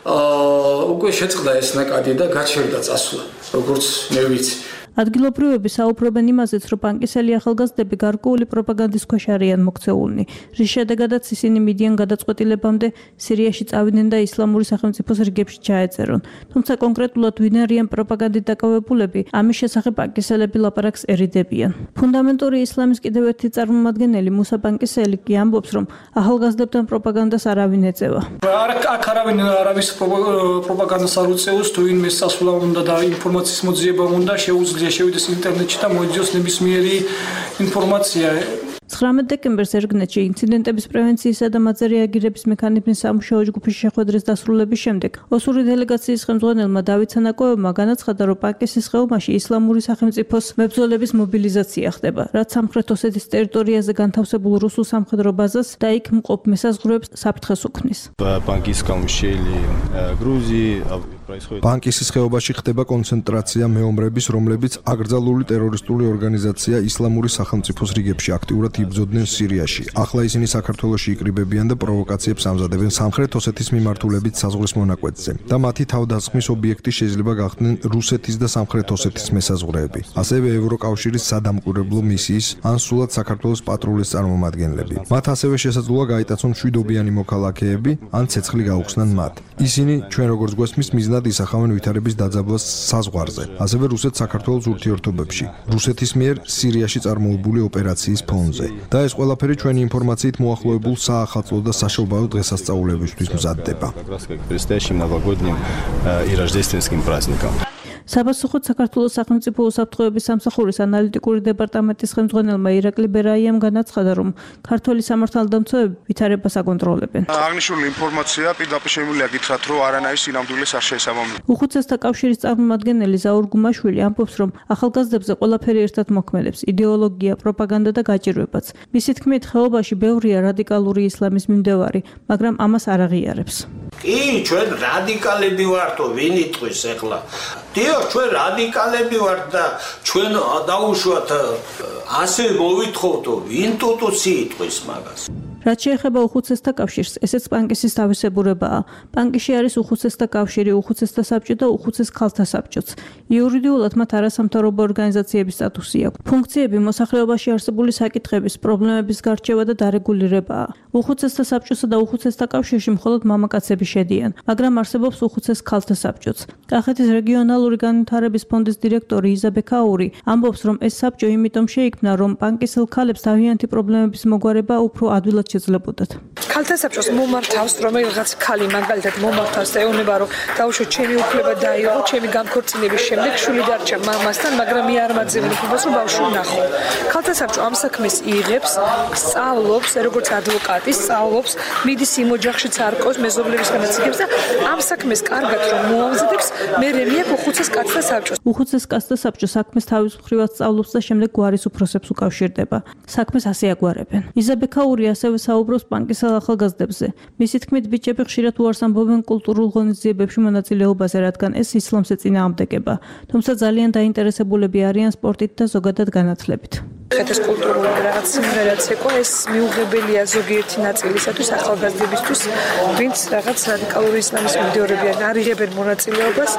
აა უკვე შეწყდა ეს ნაკადი და გაჩერდა წასვლა, როგორც მე ვიცი. ადგილობრივები საუბრობენ იმაზეც, რომ ბანკისელი ახალგაზრდები გარკვეული პროპაგანდის ქვეშ არიან მოქცეულნი, რის შედეგადაც ისინი მიდიან გადაწყვეტილებამდე სირიაში წავიდნენ და ისლამური სახელმწიფოს რიგებში ჩაეწერონ. თუმცა კონკრეტულად ვინ არიან პროპაგანდით დაკავებულები, ამის შესახებ ბანკისელები ლაპარაკს ერიდებიან. ფუნდამენტური ისლამის კიდევ ერთი წარმომადგენელი მუსა ბანკისელი კი ამბობს, რომ ახალგაზრდებთან პროპაგანდას არავინ ეწევა. აქ არავინ არავის პროპაგანდას არ უწევს, თუ ვინმე სასულარ უნდა და ინფორმაციის მოძიება უნდა შეუძლია შევიდეს ინტერნეტში და მოიძიოს ნებისმიერი ინფორმაცია. ცხრამეტ დეკემბერს ერგნეთში ინციდენტების პრევენციისა და მათზე რეაგირების მექანიზმის სამუშაო ჯგუფის შეხვედრის დასრულების შემდეგ ოსური დელეგაციის ხელმძღვანელმა დავით სანაკოევმა განაცხადა, რომ პაკისის ხეობაში ისლამური სახელმწიფოს მებრძოლების მობილიზაცია ხდება, რაც სამხრეთ ოსეთის ტერიტორიაზე განთავსებულ რუსულ სამხედრო ბაზას და იქ მყოფ მესაზღვრეებს საფრთხეს უქმნის. ბანკისის ხეობაში ხდება კონცენტრაცია მეომრების, რომლებიც აკრძალული ტერორისტული ორგანიზაცია ისლამური სახელმწიფოს რიგებში აქტიურად იბრძოდნენ სირიაში. ახლა ისინი საქართველოში იკრიბებიან და პროვოკაციებს ამზადებენ სამხრეთ ოსეთის მიმართულებით საზღვრის მონაკვეთზე და მათი თავდასხმის ობიექტი შეიძლება გახდნენ რუსეთის და სამხრეთ ოსეთის მესაზღვრეები, ასევე ევროკავშირის სადამკვირვებლო მისიის ან სულად საქართველოს პატრულის წარმომადგენლები. მათ ასევე შესაძლოა გაიტაცონ მშვიდობიანი მოქალაქეები ან ცეცხლი გაუხსნან მათ. ისინი ჩვენ როგორც გვესმის მიზნად ისახავენ ვითარების დაძაბვას საზღვარზე, ასევე რუსეთ-საქართველოს ურთიერთობებში, რუსეთის მიერ სირიაში წარმოებული ოპერაციის ფონზე. და ეს ყველაფერი ჩვენი ინფორმაციით მოახლოებულ საახალწლო და საშობაო დღესასწაულებისთვის მზადდება. საპასუხოდ საქართველოს სახელმწიფო უსაფრთხოების სამსახურის ანალიტიკური დეპარტამენტის ხელმძღვანელმა ირაკლი ბერაიამ განაცხადა, რომ ქართველი სამართალდამცავები ვითარებას აკონტროლებენ. აღნიშნული ინფორმაცია პირდაპირ შემიძლია გითხრათ, რომ არანაირ სინამდვილეს არ შეესაბამება. უხუცესთა კავშირის წარმომადგენელი ზაურ გუმაშვილი ამბობს, რომ ახალგაზრდებზე ყველაფერი ერთად მოქმედებს: იდეოლოგია, პროპაგანდა და გაჭირვებაც. მისი თქმით, ხეობაში ბევრია რადიკალური ისლამის მიმდევარი, მაგრამ ამას არ აღიარებს. კი, ჩვენ რადიკალები ვართო, ვინ იტყვის ახლა? დიახ, ჩვენ რადიკალები ვართ და ჩვენ დაუშვათ ასე მოვითხოვთო, ვინ ტუტუცი იტყვის მაგას. რაც შეეხება უხუცესთა კავშირს, ესეც პანკისის თავისებურებაა. პანკიში არის უხუცესთა კავშირი, უხუცესთა საბჭო და უხუცეს ქალთა საბჭოც. იურიდიულად მათ არასამთავრობო ორგანიზაციების სტატუსი აქვს. ფუნქციები მოსახლეობაში არსებული საკითხების, პრობლემების გარჩევა და დარეგულირებაა. უხუცესთა საბჭოსა და უხუცესთა კავშირში მხოლოდ მამაკაცები შედიან, მაგრამ არსებობს უხუცეს ქალთა საბჭოც. კახეთის რეგიონალური განვითარების ფონდის დირექტორი იზა ბექაური ამბობს, რომ ეს საბჭო იმიტომ შეიქმნა, რომ პანკისელ ქალებს თავიანთი პრობლემების მოგვარება უფრო ადვილად შეძლებოდათ. ქალთა საბჭოს მომართავს, რომ რაღაც ქალი მაგალითად მომართავს და ეუბნება, რომ დაუშვათ ჩემი უფლება დაიღო, ჩემი განქორწინების შემდეგ შვილი დარჩა მამასთან, მაგრამ მე არ მაძებნ უფლებას, რომ ბავშვი ვნახო. ქალთა საბჭო ამ საქმეს იღებს, სწავლობს, როგორც ადვოკატი, სწავლობს, მიდის იმ ოჯახშიც არკოს, მეზობლების განაციგებს და ამ საქმეს კარგად რომ მოამზადებს, მე რემია უხუცეს კაცთა საბჭოს. უხუცეს კაცთა საბჭო საქმეს თავის მხრივად სწავლობს და შემდეგ გვარის უფროსებს უკავშირდება. საქმეს ასე აგვარებენ. იზა ბექაური ასევე საუბრობს პანკისელ ახალგაზრდებზე. მისი თქმით, ბიჭები ხშირად უარს ამბობენ კულტურულ ღონისძიებებში მონაწილეობაზე, რადგან ეს ისლამს ეწინააღმდეგება. თუმცა ძალიან დაინტერესებულები არიან სპორტით და ზოგადად განათლებით. ეს კულტურული რაღაც სიმღერაც ეკვა, ეს მიუღებელია ზოგიერთი ნაწილისათვის ახალგაზრდებისთვის, ვინც რაღაც რადიკალური ისლამის მიმდევრებიან, არ იღებენ მონაწილეობას.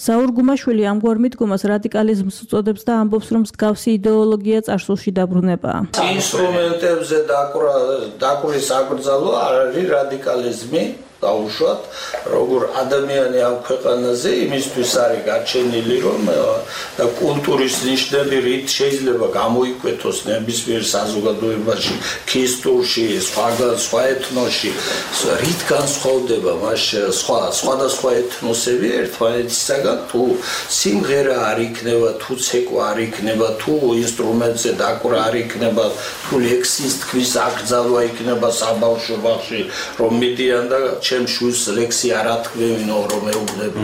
ზაურ გუმაშვილი ამგვარ მიდგომას რადიკალიზმს უწოდებს და ამბობს, რომ მსგავსი იდეოლოგია წარსულში დაბრუნებაა. ინსტრუმენტებზე დაკვრა დაკვრვის აკრძალვა არ არის რადიკალიზმი. დაუშვათ, როგორ ადამიანი ამ ქვეყანაზე იმისთვის არის გაჩენილი, რომ და კულტურის ნიშნები რით შეიძლება გამოიკვეთოს ნებისმიერ საზოგადოებაში, ქისტურში, სხვაგან სხვა ეთნოსში, რით განსხვავდება მას სხვა სხვადასხვა ეთნოსები ერთმანეთისაგან, თუ სიმღერა არ იქნება, თუ ცეკვა არ იქნება, თუ ინსტრუმენტზე დაკვრა არ იქნება, თუ ლექსის თქმის აკრძალვა იქნება საბავშვო ბაღში, რომ მიდიან და ჩემ შვილს ლექსი არ ათქმევინო რომ ეუბნები.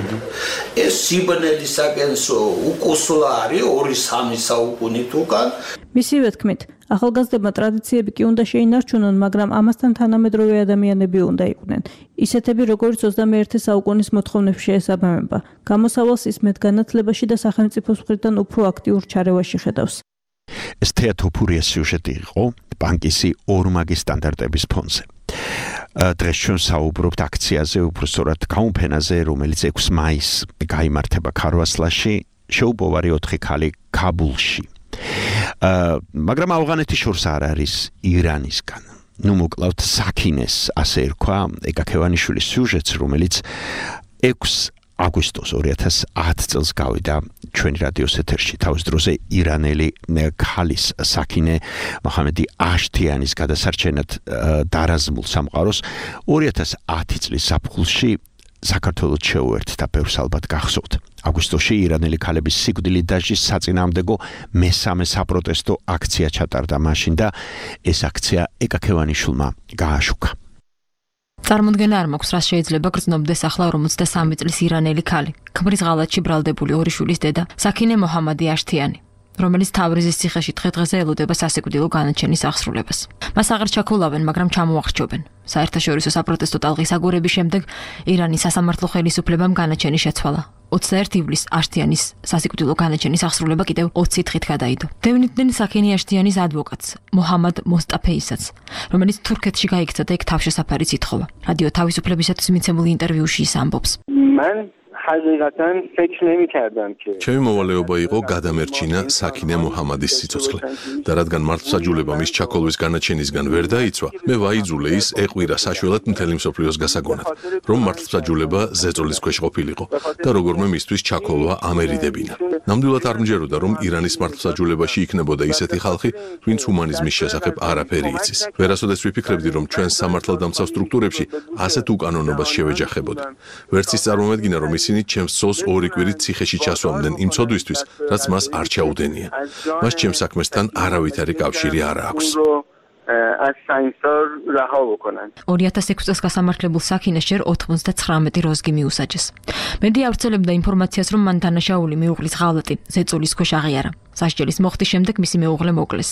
ეს სიბნელისაკენსო უკუსლა არის ორი სამი საუკუნით უკან. მისივე თქმით, ახალგაზრდებმა ტრადიციები კი უნდა შეინარჩუნონ, მაგრამ ამასთან თანამედროვე ადამიანები უნდა იყვნენ. ისეთები, როგორც ოცდამეერთე საუკუნის მოთხოვნებს შეესაბამება. გამოსავალს ის მეტ განათლებაში და სახელმწიფოს მხრიდან უფრო აქტიურ ჩარევაში ხედავს. ეს თეატოფურიას სიუჟეტი იყო ბანკისი ორმაგი სტანდარტების ფონზე. დღეს ჩვენ საუბრობთ აქციაზე, უბრალოდ გაუმფენაზე, რომელიც ექვსი მაისს გაიმართება ქარვასლაში, შეუბოვარი ოთხი ქალი ქაბულში. მაგრამ ავღანეთის შორს არ არის ირანისგან. ნუ მოკლავთ საქინეს, ასე ერქვა ეკაქევანიშვილის სიუჟეტს, რომელიც ექვსი აგვისტოს ორი ათას ათი წელს გავიდა ჩვენი რადიოს ეთერში. თავის დროზე ირანელი ქალის საქინე მოჰამედი აშთიანის გადასარჩენად დარაზმულ სამყაროს ორი ათას ათი წლის ზაფხულში საქართველოს შეუერთდა, ბევრს ალბათ გახსოვთ. აგვისტოში ირანელი ქალების სიკვდილით დასჯის საწინააღმდეგო მესამე საპროტესტო აქცია ჩატარდა მაშინ და ეს აქცია ეკაქევანიშვილმა გააშუქა. წარმოდგენა არ მაქვს, რას შეიძლება გრძნობდეს ახლა ორმოცდასამი წლის ირანელი ქალი, ქმრის ღალატში ბრალდებული ორი შვილის დედა, საქინე მოჰამადი აშთიანი, რომელიც თავრიზის ციხეში დღე-დღეზე ელოდება სასიკვდილო განაჩენის აღსრულებას. მას აღარ ჩაქოლავენ, მაგრამ ჩამოახრჩობენ. საერთაშორისო საპროტესტო ტალღის აგორების შემდეგ ირანის სასამართლო ხელისუფლებამ განაჩენი შეცვალა. ოცდაერთი ივლისს აშთიანის სასიკვდილო განაჩენის აღსრულება კიდევ ოცი დღით გადაიდო. დევნიდნენ საქინე აშთიანის ადვოკატს, მოჰამად მოსტაფეისაც, რომელიც თურქეთში გაიქცა და იქ თავშესაფარიც ითხოვა. რადიო თავისუფლებისათვის მიცემულ ინტერვიუში ის ამბობს. მან حقیقتاً فکر نمی‌کردم که ჩემი მოვალეობა იყო გადამერჩინა საქინე მოჰამადის სიცოცხლე და რადგან მართლმსაჯულება მის ჩაქოლვის განაჩენისგან ვერ დაიცვა, მე ვაიძულე ის ეყვირა საშველად მთელი მსოფლიოს გასაგონად, რომ მართლმსაჯულება ზეწოლის ქვეშ ყოფილიყო და როგორმე მისთვის ჩაქოლვა ამერიდებინა. ნამდვილად არ მჯეროდა, რომ ირანის მართლმსაჯულებაში იქნებოდა ისეთი ხალხი, ვინც ჰუმანიზმის შესახებ არაფერი იცის. ვერასოდეს ვიფიქრებდი, რომ ჩვენ სამართალდამცავ სტრუქტურებში ასეთ უკანონობას შევეჯახებოდი. ვერც ის წარმომედგინა, რომ ისინი ჩემს ცოლს ორი კვირით ციხეში ჩასვამდნენ იმ ცოდვისთვის, რაც მას არ ჩაუდენია. მას ჩემს საქმესთან არავითარი კავშირი არ აქვს. ორი ათას ექვსი წელს გასამართლებულ საქინეს ჯერ ოთხმოცდაცხრამეტი როზგი მიუსაჯეს. მედია ავრცელებდა ინფორმაციას, რომ მან დანაშაული მეუღლის ღალატი ზეწოლის ქვეშ აღიარა. სასჯელის მოხდის შემდეგ მისი მეუღლე მოკლეს.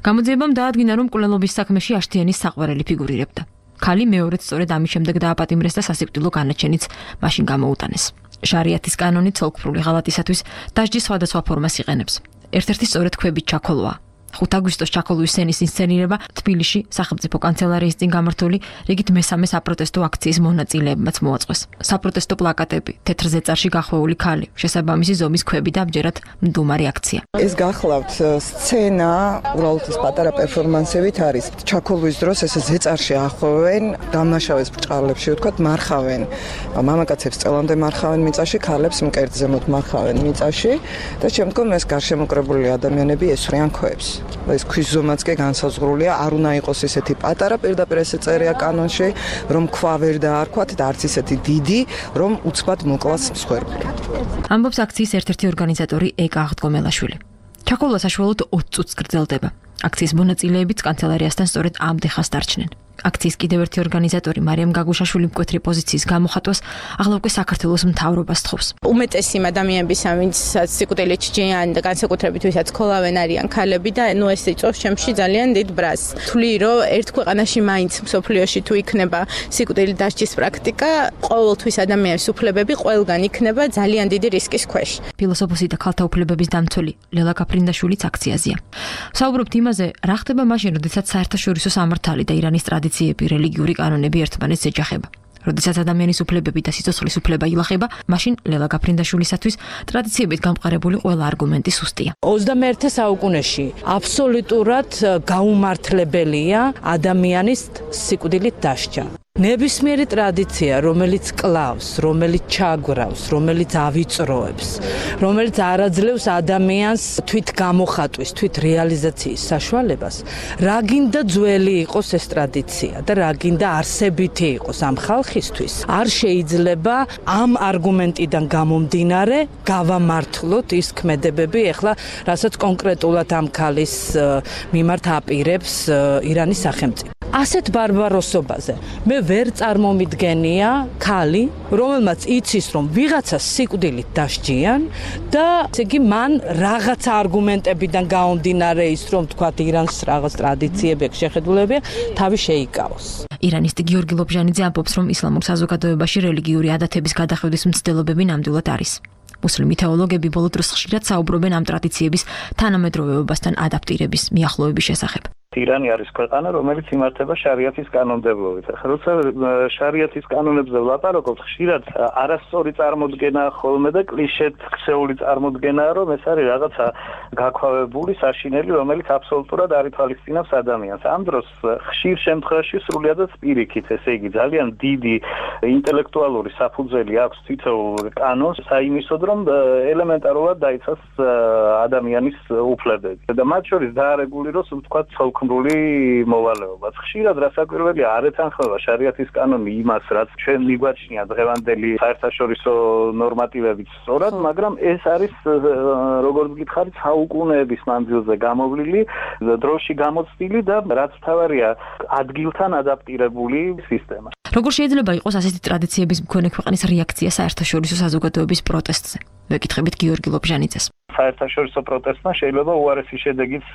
გამოძიებამ დაადგინა, რომ მკვლელობის საქმეში აშთიანის საყვარელი ფიგურირებდა. ქალი მეორეც სწორედ ამის შემდეგ დააპატიმრეს და სასიკვდილო განაჩენიც მაშინ გამოუტანეს. შარიათის კანონი ცოლქმრული ღალატისათვის დასჯის სხვადასხვა ფორმას იყენებს. ერთ-ერთი სწორედ ქვებით ჩაქოლვა. ხუთი აგვისტოს ჩაქოლვის სცენის ინსცენირება თბილისში სახელმწიფო კანცელარიის წინ გამართული რიგით მესამე საპროტესტო აქციის მონაწილეებმაც მოაწყვეს. საპროტესტო პლაკატები, თეთრ ზეწარში გახვეული ქალი, შესაბამისი ზომის ქვები და ამჯერად მდუმარი აქცია. ეს გახლავთ სცენა, უბრალოდ ეს პატარა პერფორმანსებით არის. ჩაქოლვის დროს ეს ზეწარში ახვევენ, დამნაშავეს ბრჭყალებში, ვთქვათ, მარხავენ. მამაკაცებს წელამდე მარხავენ მიწაში, ქალებს მკერდ ზემოთ მარხავენ მიწაში და შემდგომ ეს გარშემოკრებული ადამიანები ესვრიან ქვებს. ეს ქვის ზომაც კი განსაზღვრულია, არ უნდა იყოს ესეთი პატარა, პირდაპირ ესე წერია კანონში, რომ ქვა ვერ დაარქვათ და არც ისეთი დიდი, რომ უცბად მოკლას მსხვერპლი. ამბობს აქციის ერთ-ერთი ორგანიზატორი ეკა აღდგომელაშვილი. ჩაქოლვა საშუალოდ ოცი წუთს გრძელდება. აქციის მონაწილეებიც კანცელარიასთან სწორედ ამ დეხას დარჩნენ. აქციის კიდევ ერთი ორგანიზატორი მარიამ გაგუშაშვილი მკვეთრი პოზიციის გამოხატვას ახლა უკვე საქართველოს მთავრობას თხოვს. უმეტესი ადამიანების, ვინც სიკვდილით ჭიანენ და განსაკუთრებით ვისაც ქოლავენ არიან ქალები და ნუ ეს იწვევს ჩემში ძალიან დიდ ბრაზს. თვლი რომ ერთ ქვეყანაში მაინც მსოფლიოში თუ იქნება სიკვდილით დასჯის პრაქტიკა, ყოველთვის ადამიანის უფლებები ყველგან იქნება ძალიან დიდი რისკის ქვეშ. ფილოსოფოსი და ქალთა უფლებების დამცველი ლელა გაფრინდაშვილიც აქციაზეა. საუბრობთ იმაზე, რა ხდება მაშინ, როდესაც საერთაშორისო სამართალი და ირანის ტრადიციები, რელიგიური კანონები ერთმანეთს ეჯახება. როდესაც ადამიანის უფლებები და სიცოცხლის უფლება ილახება, მაშინ ლელა გაფრინდაშვილისათვის ტრადიციებით გამყარებული ყველა არგუმენტი სუსტია. ოცდამეერთე საუკუნეში აბსოლუტურად გაუმართლებელია ადამიანის სიკვდილით დასჯა. ნებისმიერი ტრადიცია, რომელიც კლავს, რომელიც ჩაგვრავს, რომელიც ავიწროებს, რომელიც არაძლევს ადამიანს თვით გამოხატვის, თვით რეალიზაციის საშუალებას, რა გინდა ძველი იყოს ეს ტრადიცია და რა გინდა არსებითი იყოს ამ ხალხისთვის, არ შეიძლება ამ არგუმენტიდან გამომდინარე გავამართლოთ ის ქმედებები, ეხლა რასაც კონკრეტულად ამ ქალის მიმართ აპირებს ირანის სახელმწიფო. ასეთ ბარბაროსობაზე მე ვერ წარმომიდგენია ქალი, რომელმაც იცის, რომ ვიღაცას სიკვდილით დასჯიან და ესე იგი მან რაღაც არგუმენტებიდან გამომდინარე ის, რომ თქვათ ირანს რაღაც ტრადიციები, შეხედულებები თავი შეიკავოს. ირანისტი გიორგი ლობჟანიძე ამბობს, რომ ისლამურ საზოგადოებაში რელიგიური ადათების გადახვევის მცდელობები ნამდვილად არის. მუსლიმი თეოლოგები ბოლო დროს ხშირად საუბრობენ ამ ტრადიციების თანამედროვეობასთან ადაპტირების, მიახლოების შესახებ. ირანი არის ქვეყანა, რომელიც იმართება შარიათის კანონმდებლობით. ახლა როცა შარიათის კანონებზე ვლაპარაკობთ, ხშირად არასწორი წარმოდგენა ხოლმე და კლიშეთ ქცეული წარმოდგენაა, რომ ეს არის რაღაცა გაქვავებული საშინელი, რომელიც აბსოლუტურად არ ითვალისწინებს ადამიანს. ამ დროს ხშირ შემთხვევაში სრულიადად პირიქით, ესე იგი ძალიან დიდი ინტელექტუალური საფუძველი აქვს თითოეულ კანონს, საიმისოდ, რომ ელემენტარულად დაიცვას ადამიანის უფლებები. და მათ შორის დაარეგულიროს, ვთქვათ, ცოლქმრული მოვალეობაც. ხშირად რასაკვირველია არ ეთანხმება შარიათის კანონი იმას, რაც ჩვენ მიგვაჩნია დღევანდელი საერთაშორისო ნორმატივებით სწორად, მაგრამ ეს არის როგორც გითხარით საუკუნეების მანძილზე გამოვლილი, დროში გამოცდილი და რაც თავარია ადგილთან ადაპტირებული სისტემა. როგორ შეიძლება იყოს ასეთი ტრადიციების მქონე ქვეყნის რეაქცია საერთაშორისო საზოგადოების პროტესტზე? ვეკითხებით გიორგი ლობჟანიძეს. საერთაშორისო პროტესტმა შეიძლება უარესი შედეგიც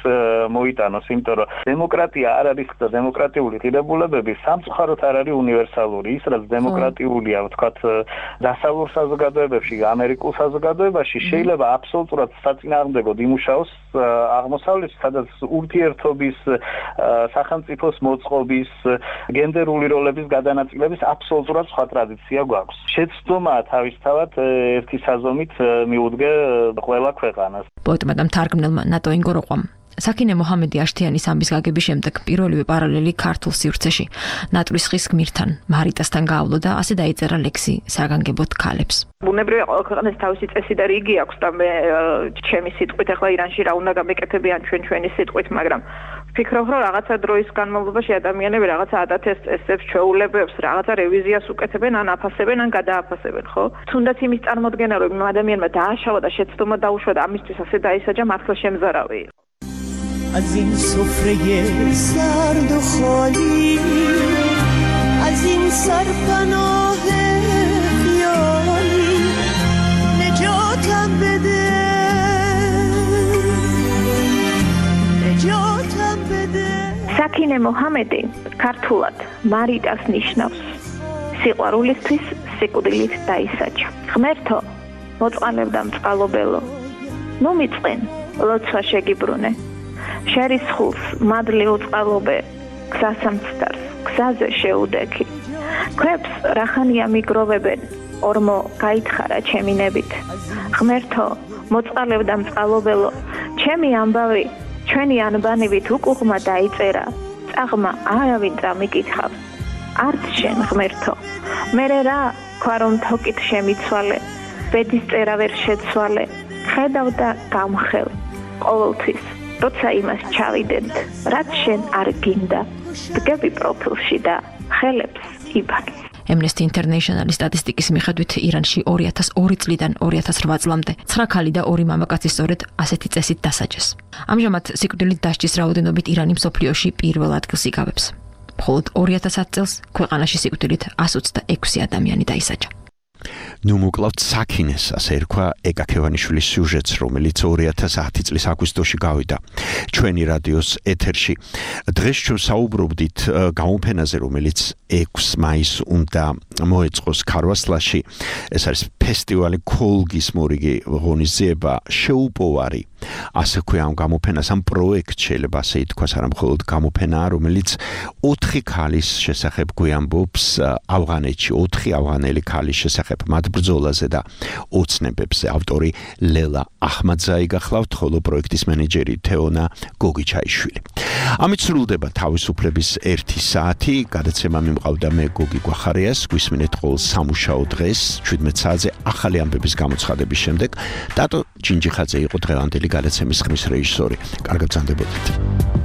მოიტანოს, იმიტომ რომ დემოკრატია არ არის და დემოკრატიული ღირებულებები სამწუხაროდ არ არის უნივერსალური. ის რაც დემოკრატიულია, ვთქვათ, დასავლურ საზოგადოებებში, ამერიკულ საზოგადოებაში შეიძლება აბსოლუტურად საწინააღმდეგოდ იმუშაოს აღმოსავლეთში, სადაც ურთიერთობის, სახელმწიფოს მოწყობის, გენდერული როლების გადანაწილების აბსოლუტურად სხვა ტრადიცია გვაქვს. შეცდომა თავისთავად ერთი საზომით მიუდგე ყველა ქვეყანას. პოეტმა და მთარგმნელმა ნატო ინგოროყვამ საკინე მოჰამედი აშთიანის ამბის გაგების შემდეგ პირველივე პარალელი ქართულ სივრცეში ნატრის ხის გმირთან მარიტასთან გაავლო და ასე დაიწერა ლექსი საგანგებოდ ქალებს. ბუნებრივია ყველა ქვეყანას თავისი წესი და რიგი აქვს და მე ჩემი სიტყვით ახლა ირანში რა უნდა გამეკეთებიან ჩვენ ჩვენი სიტყვით, მაგრამ ვფიქრობ, რომ რაღაცა დროის განმავლობაში ადამიანები რაღაცა ადათებს, წესებს, ჩვეულებებს, რაღაცა რევიზიას უკეთებენ, ან აფასებენ, ან გადააფასებენ, ხო? თუნდაც იმის წარმოდგენა, რომ ადამიანმა დააშალა და შეცდომა დაუშვა და ამისთვის ასე დაისაჯა, მართლა შემზარავი იყო. از این سفره سرد و خالی از این سرپناه خیالی نجاتم بده نجاتم بده საკინე მოჰამედი ქართულად მარიტას ნიშნავს სიყვარულისთვის სიკვდილით დაისაჯა. ღმერთო, მოწყალებ და მწყალობელო, მომიწყენ, ლოცვა შეგიბრუნე. შერის ხულს მადლი უწყალობე, გზასამცდარს, გზაზე შეუდექი. ქვებს რახანია მიგროვებენ, ორმო გაითხარა ჩემინებით. ღმერთო, მოწყალებ და მწყალობელო, ჩემი ამბავი, ჩვენი ანბანივით უკუღმა დაიწერა, წაღმა არავინ წამიკითხავს. არც შენ ღმერთო, მერე რა, ქვა რომ თოკით შემიცვალე, ბედის წერა ვერ შეცვალე, ხედავ და გამხელ, ყოველთვის როცა იმას ჩავიდეთ, რაც შენ არ გინდა, დგები პროფილში და ხელებს იბან. Amnesty International-ის სტატისტიკის მიხედვით ირანში ორი ათას ორი წლიდან ორი ათას ოთხ წლამდე ცხრა ქალი და ორი მამაკაცი სწორედ ასეთი წესით დასაჯეს. ამჟამად სიკვდილით დასჯის რაოდენობით ირანი მსოფლიოში პირველ ადგილს იკავებს. მხოლოდ ორი ათას ათი წელს ქვეყანაში სიკვდილით εκατს ოცდაექვსი ადამიანი დაისაჯა. ნუ მოკლავთ საკინეს, ასე ერქვა ეკა ქევანიშვილის სიუჟეტს, რომელიც ორი ათას ათი წლის აგვისტოში გავიდა ჩვენი რადიოს ეთერში. დღეს ჩვენ საუბრობდით გამოფენაზე, რომელიც ექვსი მაისს უნდა მოეწყოს ქარვასლაში. ეს არის ფესტივალი ქოლგის მორიგი ღონისძიება, შეუპოვარი. ასე ქვია ამ გამოფენას, ამ პროექტს შეიძლება ასე ითქვას, არა მხოლოდ გამოფენაა, რომელიც ოთხი ქალის შესახებ გვიამბობს ავღანეთში, ოთხი ავღანელი ქალის შესახებ მათ ბრძოლაზე და ოცნებებზე. ავტორი ლელა ახმადზაი გახლავთ, ხოლო პროექტის მენეჯერი თეონა გოგიჩაიშვილი. ამით სრულდება თავისუფლების ერთი საათი. გადაცემა მიმყავდა მე გოგი გვახარიას. გვისმინეთ ყოველ სამუშაო დღეს შვიდმეტ საათზე ახალი ამბების გამოცხადების შემდეგ. დატო ჯინჯიხაძე იყო დღევანდელი გადაცემის ხმის რეჟისორი. კარგად ბრძანდებოდეთ.